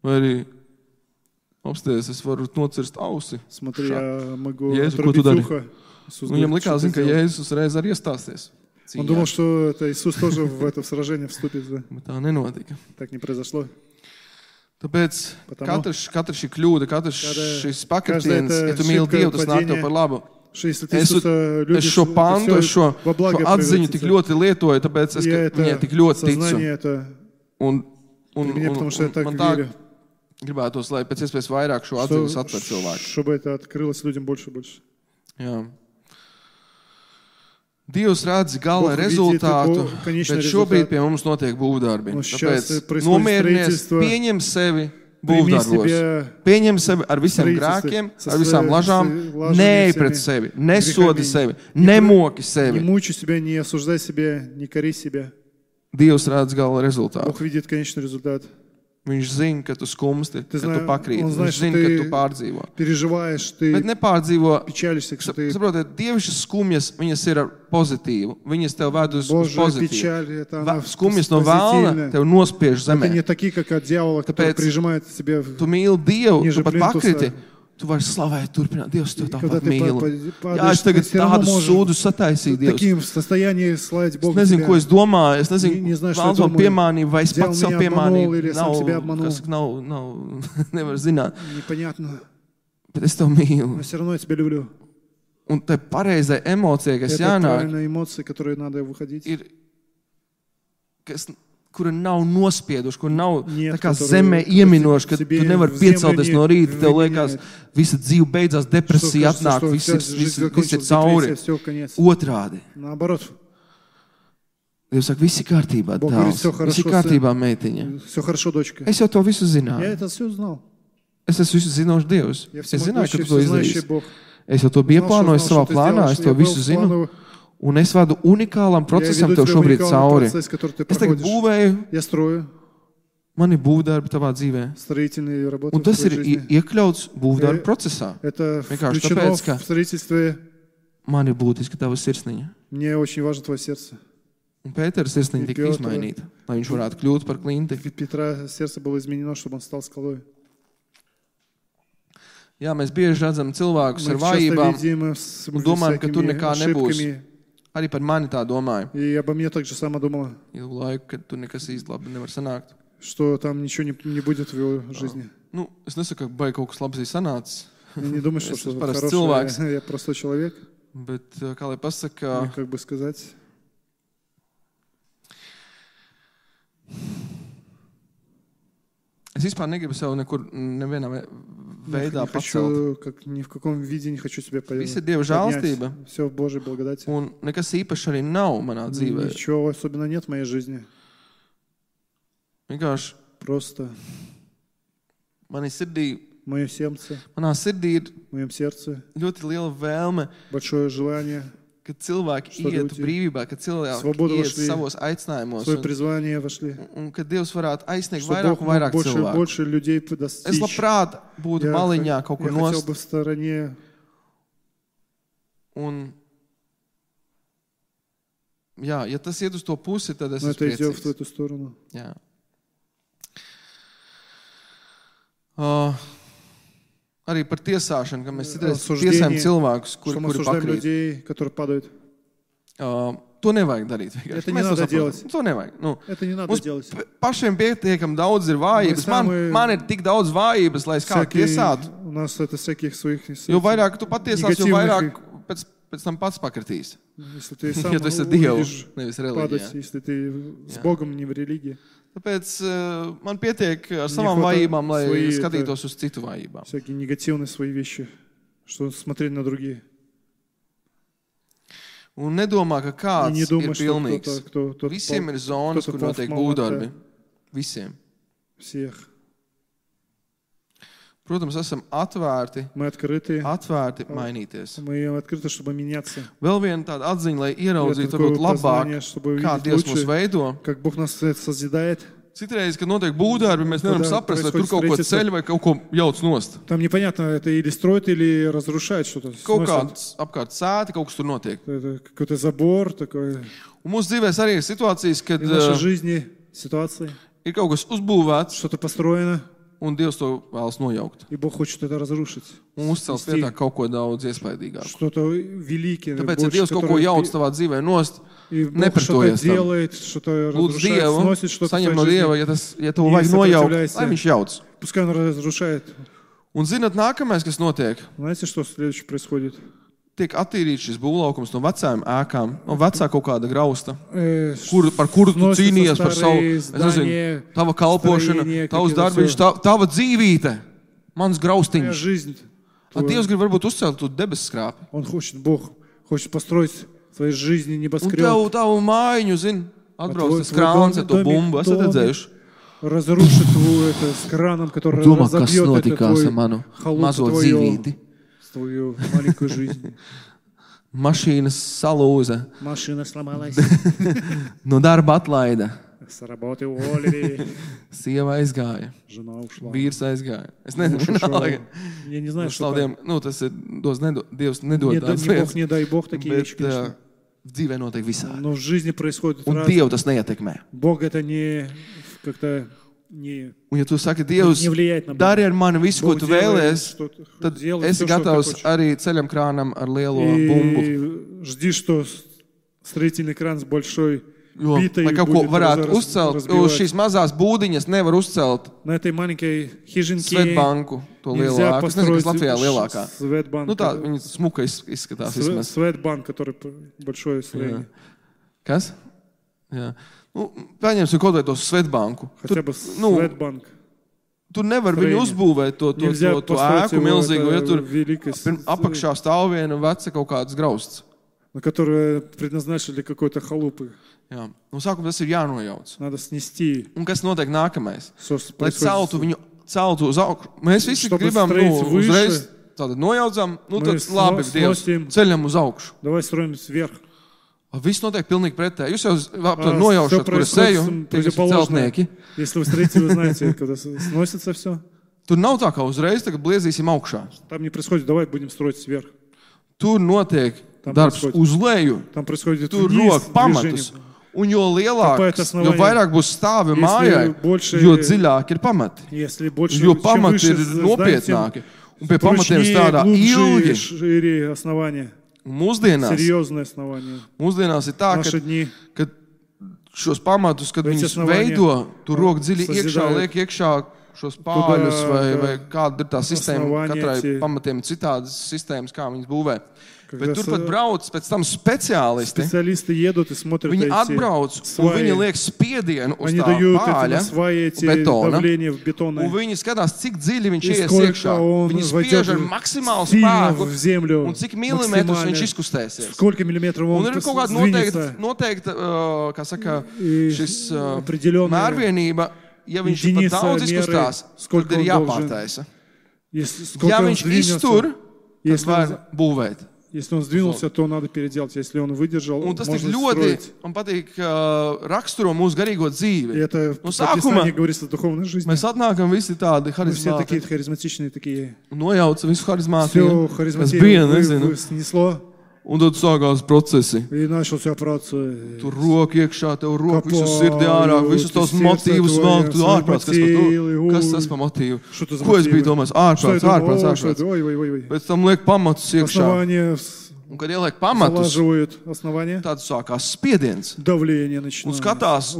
Vai arī apsties, es varu nocirst ausi. Смотри, Ша. я могу Jēzu, ko отрубить tu dari? ухо. Иисус Un viņam говорит, likās, что zin, ты ka сделал. Jēzus uzreiz arī iestāsies. Он Cīņā. думал, что это Иисус тоже в это сражение вступит. Да. Bet tā nenotika. Так не произошло. Tāpēc Потому- katrs, katrs šī kļūda, katrs Kāda- šis kāda pakritiens, tā ja tu mīli šipka Dievu, tas nāk tev padīņa. par labu. Что если ты Es, Иисуса es любишь, šo это pantu, всё es šo, во благо šo atziņu превратится. tik ļoti lietoju, tāpēc es Я ka viņai это tik ļoti ticu. сознание это Un, un, при мне, un, потому что я un так man tā верю, gribētos, lai pēc iespējas vairāk šo что- atziņu satver cilvēku. чтобы это открылось людям больше и больше. Jā. Dievs redz gala Бог видит rezultātu, Бог- конечный bet šobrīd результат. pie mums notiek būvdarbi. Un сейчас Tāpēc происходит nomierinies, строительство. pieņem sevi Прими būvdarbos. себя Pieņem sevi ar visiem строительстве, grēkiem, со ar visām своей- lažām, с лажами neej всеми, pret sevi, nesodi грехами. sevi, Не nemoki Не sevi. мучай себя, не осуждай себя, не кори себя. Dievs redz gala rezultātu. Бог видит конечный результат. Viņš zina, ka tu skumsti, ka tu zināji- pakrīti. un Viņš знаешь, zina, ты- ka tu pārdzīvo. Переживаешь, Bet ты nepārdzīvo. печалишься, что ты... Saprotiet, dievišķas skumjas, viņas ir ar pozitīvu. Viņas tev ved uz, uz Божья pozitīvu. печаль, это она Va- Skumjas no vēlna позитивная. tev nospiež Это zemē. не такие, как от дьявола, который Tāpēc прижимает тебя. в- Tu mīli Dievu, Ниже tu pat plintusa. pakriti. Tu vari slavēt, turpināt. Dievs, tev Когда tāpat ты mīli. па- па- Jā, es падаешь, tagad ты всё равно tādus можешь sūdus sataisīju, в Dievs. таким состоянии славить Es Бога. nezinu, тебя. ko es domāju. Es nezinu, Не- не знаю, что Vēlns я man думаю. piemānīja, vai es Dievu pats sev меня обманул или piemānīju. сам Nav, себя обманул. kas nav, nav, nevar zināt. Непонятно. Bet es tev mīlu. Но все равно я тебя люблю. Un tai pareizai emocijai, kas Это jānāk, правильные эмоции, которые надо выходить. ir, kas, kura nav nospieduši, kur nav Нет, tā kā которые zemē ieminoši, ka себе tu nevari в землю piecelties не no rīta, tev вменяют. liekas, visa dzīve beidzās, Что depresija кажется, atnāk, что viss вся ir, жизнь viss, viss ir закончилась, cauri. депрессия, все, конец. Otrādi. Наоборот, Dievs saka, viss ir kārtībā, Бог говорит, tēvs. всё Viss хорошо, ir kārtībā, meitiņa. все хорошо, дочка. Es jau to visu Я zināju. это все знал. Es esmu visu zinošs Dievs. Я Es zināju, ka всемогущий, tu to всезнающий izdarīsi. Бог. Es jau to biju Знал, что ieplānojis знал, savā что ты plānā, сделаешь, es что to я был visu в zinu. плановом. Un es vadu unikālam Я procesam веду tev тебя šobrīd уникальный cauri. процесс, который ты Es tagad проходишь. būvēju, Я строю man ir būvdarbi tavā dzīvē. строительные работы Un в tas твоей ir жизни. i- iekļauts būvdarbu Э, procesā. Это Vienkārši включено tāpēc, ka в строительстве. man ir būtiski tava sirsniņa. Мне очень важно твое сердце. Un Pētera sirsniņa tika Pētera- izmainīta, lai viņš varētu kļūt par klinti. Петра сердце было изменено, чтобы он стал скалой. Jā, mēs bieži redzam cilvēkus Мы ar часто vājībām, видим с un domājam, ka tur всякими nekā nebūs. ошибками. Arī par mani tā domāju. И обо мне так же само думала, Ilgu laiku, kad tur nekas īsti labi nevar sanākt. что там ничего не, не будет в его жизни. Nu, es nesaku, ka baigi kaut kas labs ir sanācis, Я не думаю, что Es что-то parasti хорошее. cilvēks. Я, я простой человек. bet, uh, kā lai pasaka, И как бы сказать, es vispār negribu sev nekur, nevienā ve- не, veidā не pacelt. хочу, как, ни в каком виде не хочу себя Viss ir Dieva žēlastība, Все в Божьей благодати. un nekas īpašs arī nav manā dzīvē. Ничего особенно нет в моей жизни. Vienkārši Просто manī sirdī, в моем сердце, manā sirdī ir в моем сердце ļoti liela vēlme, большое желание, ka cilvēki Что ietu люди brīvībā, ka cilvēki свободу iet вошли, savos aicinājumos, свое un, призвание вошли. un ka Dievs varētu aizsniegt Что vairāk Бог un мог vairāk больше и cilvēku. больше людей Es достичь. labprāt būtu Я, maliņā х- kaut я kur хотел nost, бы в стороне, un jā, ja tas iet uz to pusi, tad es но esmu это идет в priecīgs. эту сторону. Jā. Uh, arī par tiesāšanu, ka mēs citreiz Осуждение, tiesājam cilvēkus, kuri, Что мы kuri осуждаем pakrīt. людей, которые падают. Uh, to nevajag darīt. vienkārši. Это не Mēs to надо saprotam. делать. To nevajag. Nu, Это не надо mums делать. p- pašiem pietiekami daudz ir vājības. Man, самые- man ir tik daudz vājības, lai es kādu Всякие- tiesātu. У нас это всяких своих... Jo vairāk tu patiesās, jo Negatīvных- vairāk pēc, pēc tam pats pakritīs. Если ты сам Ja tu esi Dievu, увидишь nevis падать, reliģijā. если ты с Jā. Богом, не в религии. Tāpēc uh, man pietiek ar savām хватает vājībām, lai свои, skatītos uz citu vājībām. Всякие негативные свои вещи, что смотреть на другие. Un nedomā, ka И kāds не ir думай, что pilnīgs. кто-то, кто, кто Visiem ir zonas, кто-то kur пал в notiek молоко. būvdarbi. Visiem. всех. Protams, esam atvērti, Мы открыты, atvērti mainīties. мы открыты, чтобы меняться. Vēl viena tāda atziņa, lai И это ieraudzītu такое varbūt labāk, познание, чтобы kā увидеть Dievs mūs лучше, veido. как Бог нас sozidает. Citreiz, kad notiek būvdarbi, mēs nevaram Когда saprast, vai tur происходит kaut ko строительство, ceļ vai kaut ko jauc nost. Там непонятно, это или строит, или разрушает что-то. Kaut сносит. kāds apkārt sēta, kaut kas tur notiek. Это какой-то забор такой. Un mūsu dzīvēs arī ir situācijas, kad И в нашей uh, жизни ситуации ir kaut kas uzbūvēts, что-то построено, un Dievs to vēlas nojaukt. и Бог хочет это разрушить. Un uzcelt Снести. vietā kaut ko daudz iespaidīgāku. Что-то великое. Tāpēc, ja больше, Dievs kaut ko которое jauc впи- tavā dzīvē nost, И Бог nepretojies что-то tam. делает, что-то Lūdzu разрушает, Dievu, сносит что-то в saņem твоей no жизни. Dieva, ja, tas, ja to Не vajag nojaukt, сопротивляйся. lai viņš jauc. Пускай он разрушает. Un zināt, nākamais, kas notiek, Знаете, что следующее происходит? tiek attīrīts šis būvlaukums no vecām ēkām, no vecā kaut kāda grausta, Э, kur, par kuru tu сносятся cīnījies par savu, старые es nezinu, здания, tava kalpošana, stроения, tavs какие-то darbiņš, всё. tā, tava dzīvīte, mans Твоя graustiņš. жизнь. A Dievs grib varbūt uzcelt tu debesu skrāpi. Он хочет, Бог хочет построить в твоей жизни Un небоскреб. tev, tavu mājiņu, zin, atbrauc tvoj- tas tvoj krāns domi- ar to domi- bumbu, esat domi- redzējuši? Разрушит твою это с краном, который Domā, kas разобьет это notikās твой ar manu халупу mazo твою, dzīvīti. твою маленькую жизнь. Mašīnas salūza, Машина сломалась, no darba atlaida, с работы уволили, sieva aizgāja, жена ушла. vīrs aizgāja. Es nezinu, Муж ушел. vienalga. Я не знаю, что Slaudiem, nu, tas ir, dos, nedo, Dievs nedod Не, да- tādas не Бог, lietas, не дай Бог такие bet вещи, конечно. uh, dzīvē notiek visādi. Но в жизни происходит Un раз. Dievu tas neietekmē. Бог это не как-то не, Un ja tu saki, Dievs, не влияет на Бога. dari ar mani visu, ko Бог tu делает, vēlies, что- tad делает esi всё, что ты gatavs хочешь. arī ceļam krānam ar lielo bumbu. И жди, что строительный кран с большой Jo, битой lai kaut ko будет varētu раз- uzcelt, разбивать. uz šīs mazās būdiņas nevar uzcelt На этой маленькой хижинке Svetbanku, to lielo нельзя ēku. Es nezinu, kas построить Latvijā lielākā. Светбанк. Nu tā, viņa smuka iz- izskatās Све- vismaz. Светбанк, который п- большое строение. Kas? Jā. Nu, paņemsim kaut vai to Svetbanku. Хотя бы nu, Светбанк. tur nevar viņu uzbūvēt to, to, to, to ēku milzīgu, jo tur apakšā stāv viena veca kaut kāds grausts. На которые предназначили какой-то халупы. Jā. No sākuma tas ir jānojauc. Надо снести. Un kas notiek nākamais? Что Lai celtu viņu, celtu uz augšu. Mēs visi gribam, nu, uzreiz tātad nojaucam, nu tad labi, Dievs, ceļam uz augšu. Давай строим вверх. Viss notiek pilnīgi pretēji. Jūs jau aptver nojaušat, kur es eju, tie visi celtnieki. Если вы строите, вы знаете, когда сносится все. Tur nav tā kā uzreiz, tagad bliezīsim augšā. Там не происходит, давай будем строить вверх. Tur notiek darbs uz leju. Там происходит tur rok pamatus. Un jo lielāks, jo vairāk būs stāvi mājai, jo dziļāk ir pamati. Jo pamati ir nopietnāki. Un pie pamatiem strādā ilgi. Mūsdienās, mūsdienās ir tā, ka, ka šos pamatus, kad viņus veido, tur rok dziļi iekšā, liek iekšā šos pāļus vai, vai kāda ir tā sistēma, katrai pamatiem citādas sistēmas, kā viņas būvē. Bet tur pat brauc pēc tam speciālisti. Viņi atbrauc un viņi liek spiedienu uz tā pāļa, betona, un viņi skatās, cik dziļi viņš ies iekšā. Viņi spiež ar maksimālu spēku un cik milimetrus viņš izkustēsies. Un ir kaut kāda noteikta, noteikta kā saka, šis mērvienība, ja viņš pat daudz izkustās, tad ir jāpārtaisa. Ja viņš iztur, tad var būvēt. Если он сдвинулся, то надо переделать. Если он выдержал, можно строить. Un patīk uh, raksturo mūsu garīgo dzīvi. И это no в Писании говорится о духовной жизни. Mēs atnākam visi tādi Мы все такие харизматичные, такие. Nojauca visu harizmātiju. Все харизматию вы, вы снесло. Un tad sākās procesi. И начался процесс. Tur roka iekšā, tev roka, visu sirdi ārā, visus tos motīvus vēl, tu ārprāts, kas par to, kas tas par motīvu? Ko es biju domājis? Ārprāts, ārprāts, ārprāts. Pēc tam liek pamatus iekšā. Un kad ieliek pamatus, tad sākās spiediens. Un skatās,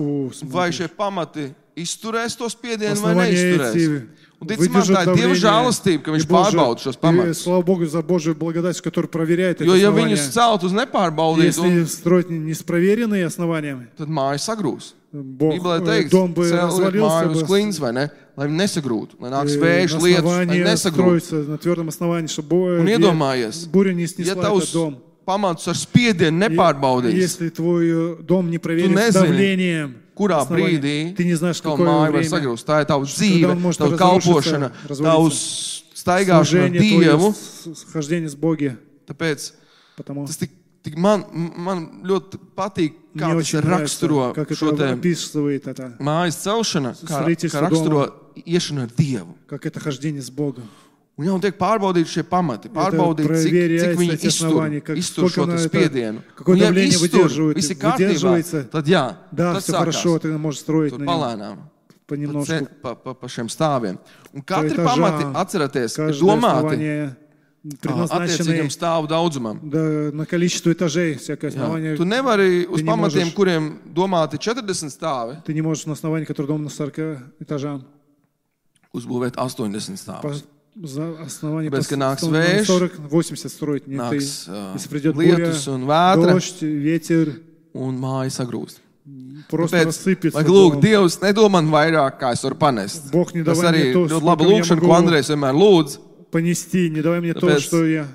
vai šie pamati izturēs to spiedienu vai neizturēs. Un ticamāk, tā ir Dieva žēlastība, ka viņš pārbauda šos pamatus. Слава Богу за Божью благодать, которая проверяет это Jo, ja основание. viņus celt uz nepārbaudītu, Если строить не с проверенными основаниями, tad māja sagrūs. Бог, Bībelē teikts, дом бы celiet развалился māju uz бы. klints, vai ne? Lai viņi nesagrūtu, lai nāks И vējš, lietus, lai основание nesagrūtu. строится на твердом основании, чтобы Un iedomājies, буря не ja снесла этот tavs дом. pamatus ar spiedienu nepārbaudīs, Если твой дом не проверен nezini, давлением, kurā основание, brīdī ты не знаешь, tavu какое māju var время, sagrūst. Tā ir tava когда dzīve, он может tava разрушиться, kalpošana, развалиться. tavs staigāšana ar Служение Dievu. твое, схождение с Богом. Tāpēc Потому tas tik, tik man, man ļoti patīk, kā мне tas очень raksturo нравится, как šo это te описывает это, mājas celšana, kā, Строительство kā raksturo iešana ar Dievu. как это хождение с Богом. Un jau tiek pārbaudīti šie pamati, pārbaudīt, cik, cik viņi iztur, iztur šo spiedienu. Un ja iztur, visi kārtībā, tad jā, Да, tad все хорошо, ты можешь строить tur на нем palēnām, понемножку. pa, pa, pa šiem stāviem. Un katri этажам, pamati, atcerieties, ir Каждое domāti основание attiecīgam предназначено stāvu daudzumam. да, на количество этажей, всякое Jā. основание. Tu nevari uz Ты не pamatiem, можешь- kuriem domāti četrdesmit stāvi, Ты не можешь на основании, который дом на сорока этажам. uzbūvēt astoņdesmit По stāvus. за основание Tāpēc, ka nāks на vējš, сорок восемьдесят строить. Не ты. Nāks uh, Если придет буря, lietus un vētra, дождь, ветер, un māja sagrūst. просто Tāpēc, рассыпется. lai lūk, дом. Dievs nedod man vairāk, kā es varu panest. Бог не Tas давай arī мне то, ļoti laba сколько я lūkšana, ko могу Andrejs vienmēr lūdz. понести, не давай мне то, Tāpēc что я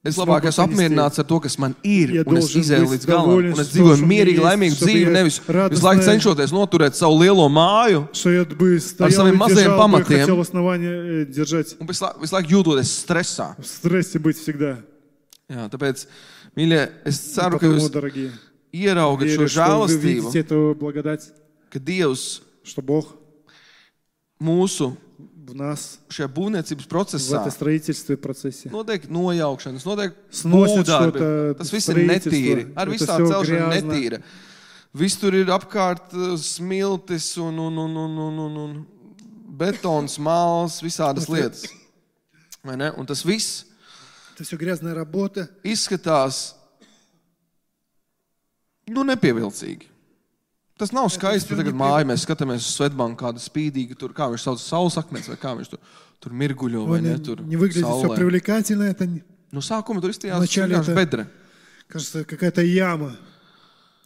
Es labāk esmu apmierināts ar to, kas man ir, Ja un es должен izēju быть līdz galam, доволен, un es что dzīvoju у меня mierīgi, есть, laimīgu чтобы dzīvi, я nevis радостная- visu laiku cenšoties noturēt savu lielo māju что я бы стоял saviem и mazajiem держал, бы, pamatiem. хотел основание э, держать, un visu laiku, visu laiku jūtoties stresā. в стрессе быть всегда. Jā, tāpēc, mīļie, es ceru, ka Потому, jūs дорогие, ieraugat šo верю, что вы žēlastību, видите эту благодать, ka Dievs что Бог mūsu в нас, šajā būvniecības в procesā этом строительстве процессе notiek nojaukšanas, notiek сносит būvdarbi. что-то, Tas viss ir строительство. netīri. Ar Это visu tā всё celšana грязно. netīra. Viss tur ir apkārt uh, smiltis un, un, un, un, un, un, un betons, māls, visādas lietas. Vai ne? Un tas viss Это все грязная работа. izskatās nu, nepievilcīgi. Tas nav skaisti, tagad māja mēs skatāmies uz Svetbanku, kāda spīdīga tur, kā viņš sauc, saules akmens, vai kā viņš tur, tur mirguļo, vai ne, tur Не выглядит все saulē. привлекательно, это, Nu, sākuma tur izstījās Вначале vienkārši это- bedre. кажется, какая-то яма.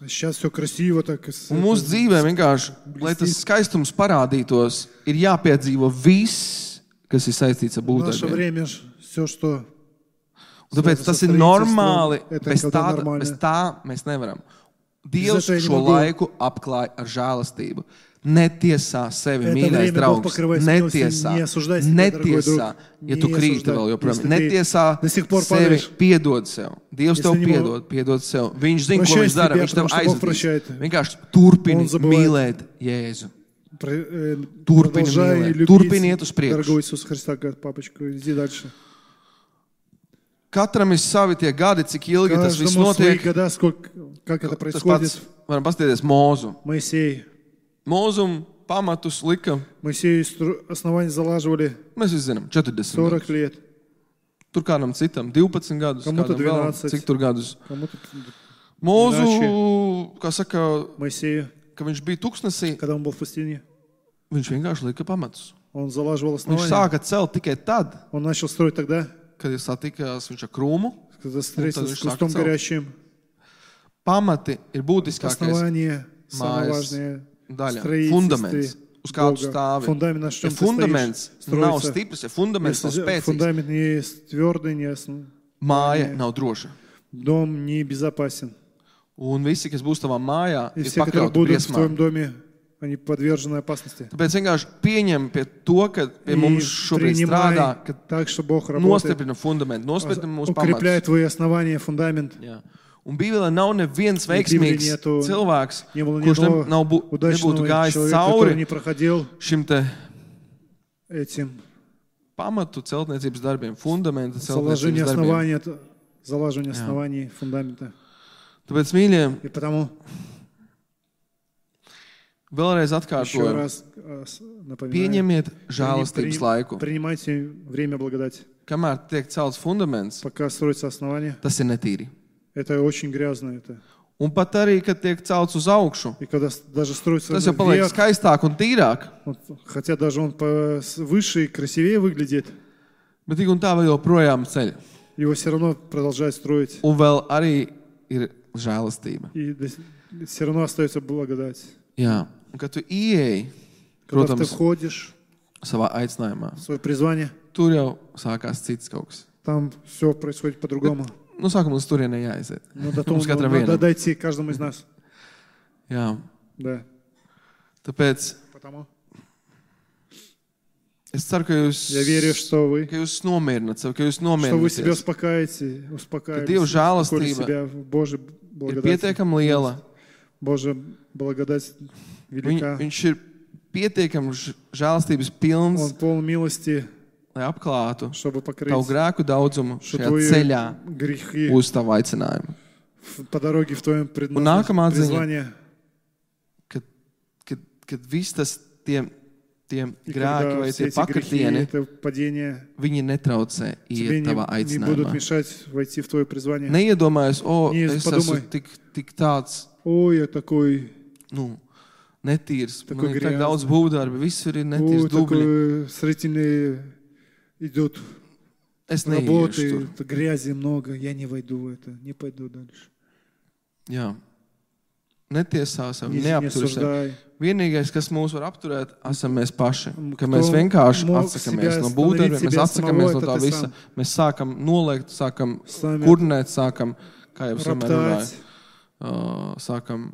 Сейчас все красиво так. Un mūsu dzīvē vienkārši, lai tas skaistums parādītos, ir jāpiedzīvo viss, kas ir saistīts ar В наше būtībiem. время все, что Un tāpēc tas ir normāli, bez tā, bez tā mēs nevaram. Dievs šo laiku apklāja ar žēlastību. Netiesā sevi, mīļais draugs. Netiesā. Netiesā, ja tu krīti vēl joprojām. Netiesā sevi, piedod sev. Dievs tev piedod, piedod sev. Viņš zina, ko viņš dara, viņš tev aizvedīs. Vienkārši turpini mīlēt Jēzu. Turpini mīlēt. Turpini iet uz priekšu. Katram ir savi tie gadi, cik ilgi tas viss notiek. Tas pats, varam paskatīties Mūzu. Mūzum pamatus lika. Моисею основания залаживали Mēs visi zinām, četrdesmit сорок лет. Tur kādam citam divpadsmit gadus, Kādam vēl двенадцать. cik tur gadus. Кому-то Mūzu, kā saka, Моисею, ka viņš bija tuksnesī, когда он был в пустыне, viņš vienkārši lika pamatus. он залаживал Viņš основания. sāka celt tikai tad, Он начал строить тогда, kad ir satikās viņš ar krūmu. когда встретился viņš с кустом sāka celt. горящим. Pamati ir būtiskākais Основание, самое mājas важное, daļa, строительстве fundaments, uz kādu Бога. stāvi. Фундамент, на Ja чем ты fundaments стоишь, nav строится. stiprs, ja fundaments nav Если spēcīgs, фундамент не твердый, не основ- māja nav droša. дом не безопасен. Un visi, kas būs tavā mājā, И ir все, которые pakļauti будут в твоем briesmām. доме, они подвержены опасности. Tāpēc vienkārši pieņem pie to, ka pie И mums šobrīd принимай strādā, ka так, что Бог работает, nostiprina fundamentu, nostiprina mūsu укрепляет pamatus. твои основания, фундамент. Jā. Un Bībelē nav neviens И в Библии veiksmīgs нету- cilvēks, Не было ни kurš ne, одного nav, bū, nebūtu удачного gājis человека, который не cauri проходил šim te этим. pamatu celtniecības darbiem, fundamentu Заложение celtniecības darbiem. основания, это залаживание оснований, фундамента. Tāpēc, mīļie, И потому vēlreiz еще atkārtoju, раз э, с- напоминаю, pieņemiet прини- žēlastības laiku. принимайте время благодати. Kamēr tiek celts fundaments, Пока строится основание, tas ir netīri. это очень грязно. Это. Un pat arī, kad tiek celts uz augšu, И когда с- даже строится tas jau paliek вверх, skaistāk un tīrāk. вот, хотя даже он по- с- выше и красивее выглядит, Bet tik un tā vēl joprojām ceļ. его все равно продолжают строить. Un vēl arī ir žēlastība. И все равно остается благодать. Jā, un kad tu ieeji, Когда ты protams, входишь savā aicinājumā, в свое призвание, tur jau sākās cits kaut kas. там все происходит по-другому. Nu, sākumā uz turieni jāaiziet. Но до того Mums katram надо vienam. дойти каждому из нас. Jā, Да. tāpēc Потому es ceru, ka jūs, я верю, что вы, ka jūs nomierināt sevi, ka jūs что вы себя nomierināties. успокаиваете, Ka успокаиваете, Dieva успокоили žēlastība себя в Божьей ir благодати. pietiekami liela. Божья благодать Viņ, велика. viņš ir pietiekami ž- žēlastības pilns, Он полон милости, lai apklātu чтобы покрыть tavu grēku daudzumu что šajā твои ceļā грехи uz tavu aicinājumu. в- по дороге в твоем Un nākamā atziņa, призвании. kad, kad, kad viss tas tie, tie И grēki когда vai все tie эти грехи, pakritieni, это падение, viņi netraucē тебе iet tavā не, не будут aicinājumā. мешать войти в твое призвание. Neiedomājies, o, Не es подумай. esmu tik, tik tāds, Ой, я такой, nu, netīrs. Такой Man ir tak грязный. daudz būvdarbi, visur ir ой, netīrs dubļi. такой строительный идет Es работы, neiešu tur. это грязи много, я не войду в это, не пойду дальше. Jā. Netiesā sev, Не, не neaptur sev. осуждай. Vienīgais, kas mūs var apturēt, esam mēs paši. Ka Кто mēs vienkārši мог atsakamies себя no остановить būtdariem, mēs себя atsakamies самого, no это tā ты visa. сам. Mēs sākam noliegt, sākam Сами kurnēt, sākam, kā jau es vienmēr runāju, роптать, uh, sākam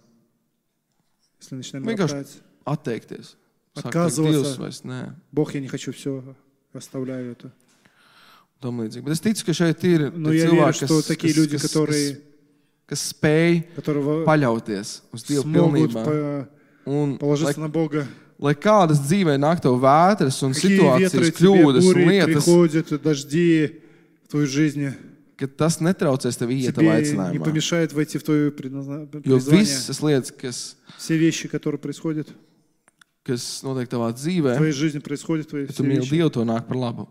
если начинаем Vienkārši роптать. atteikties. Sākt teikt, Отказываться. Dievs vairs nē, Бог, я не хочу все, оставляю это. tam līdzīgi. Bet es ticu, ka šeit ir Но tie я верю, cilvēki, что kas, такие kas, люди, kas, kas, которые, kas spēj которые paļauties uz Dievu смогут pilnībā. по- Un, lai, положиться на Бога. lai kādas dzīvē nāk tev vētras un Какие ветры situācijas, тебе, kļūdas un бури lietas, приходят, дожди в твою жизнь, ka tas netraucēs tev iet tavā тебе не aicinājumā. помешает войти в твое предназна- Jo призвание. visas lietas, kas, Все вещи, которые происходят kas notiek tavā в dzīvē, твоей жизни, происходят, твои ja tu все mīli вещи, Dievu, to nāk par labu.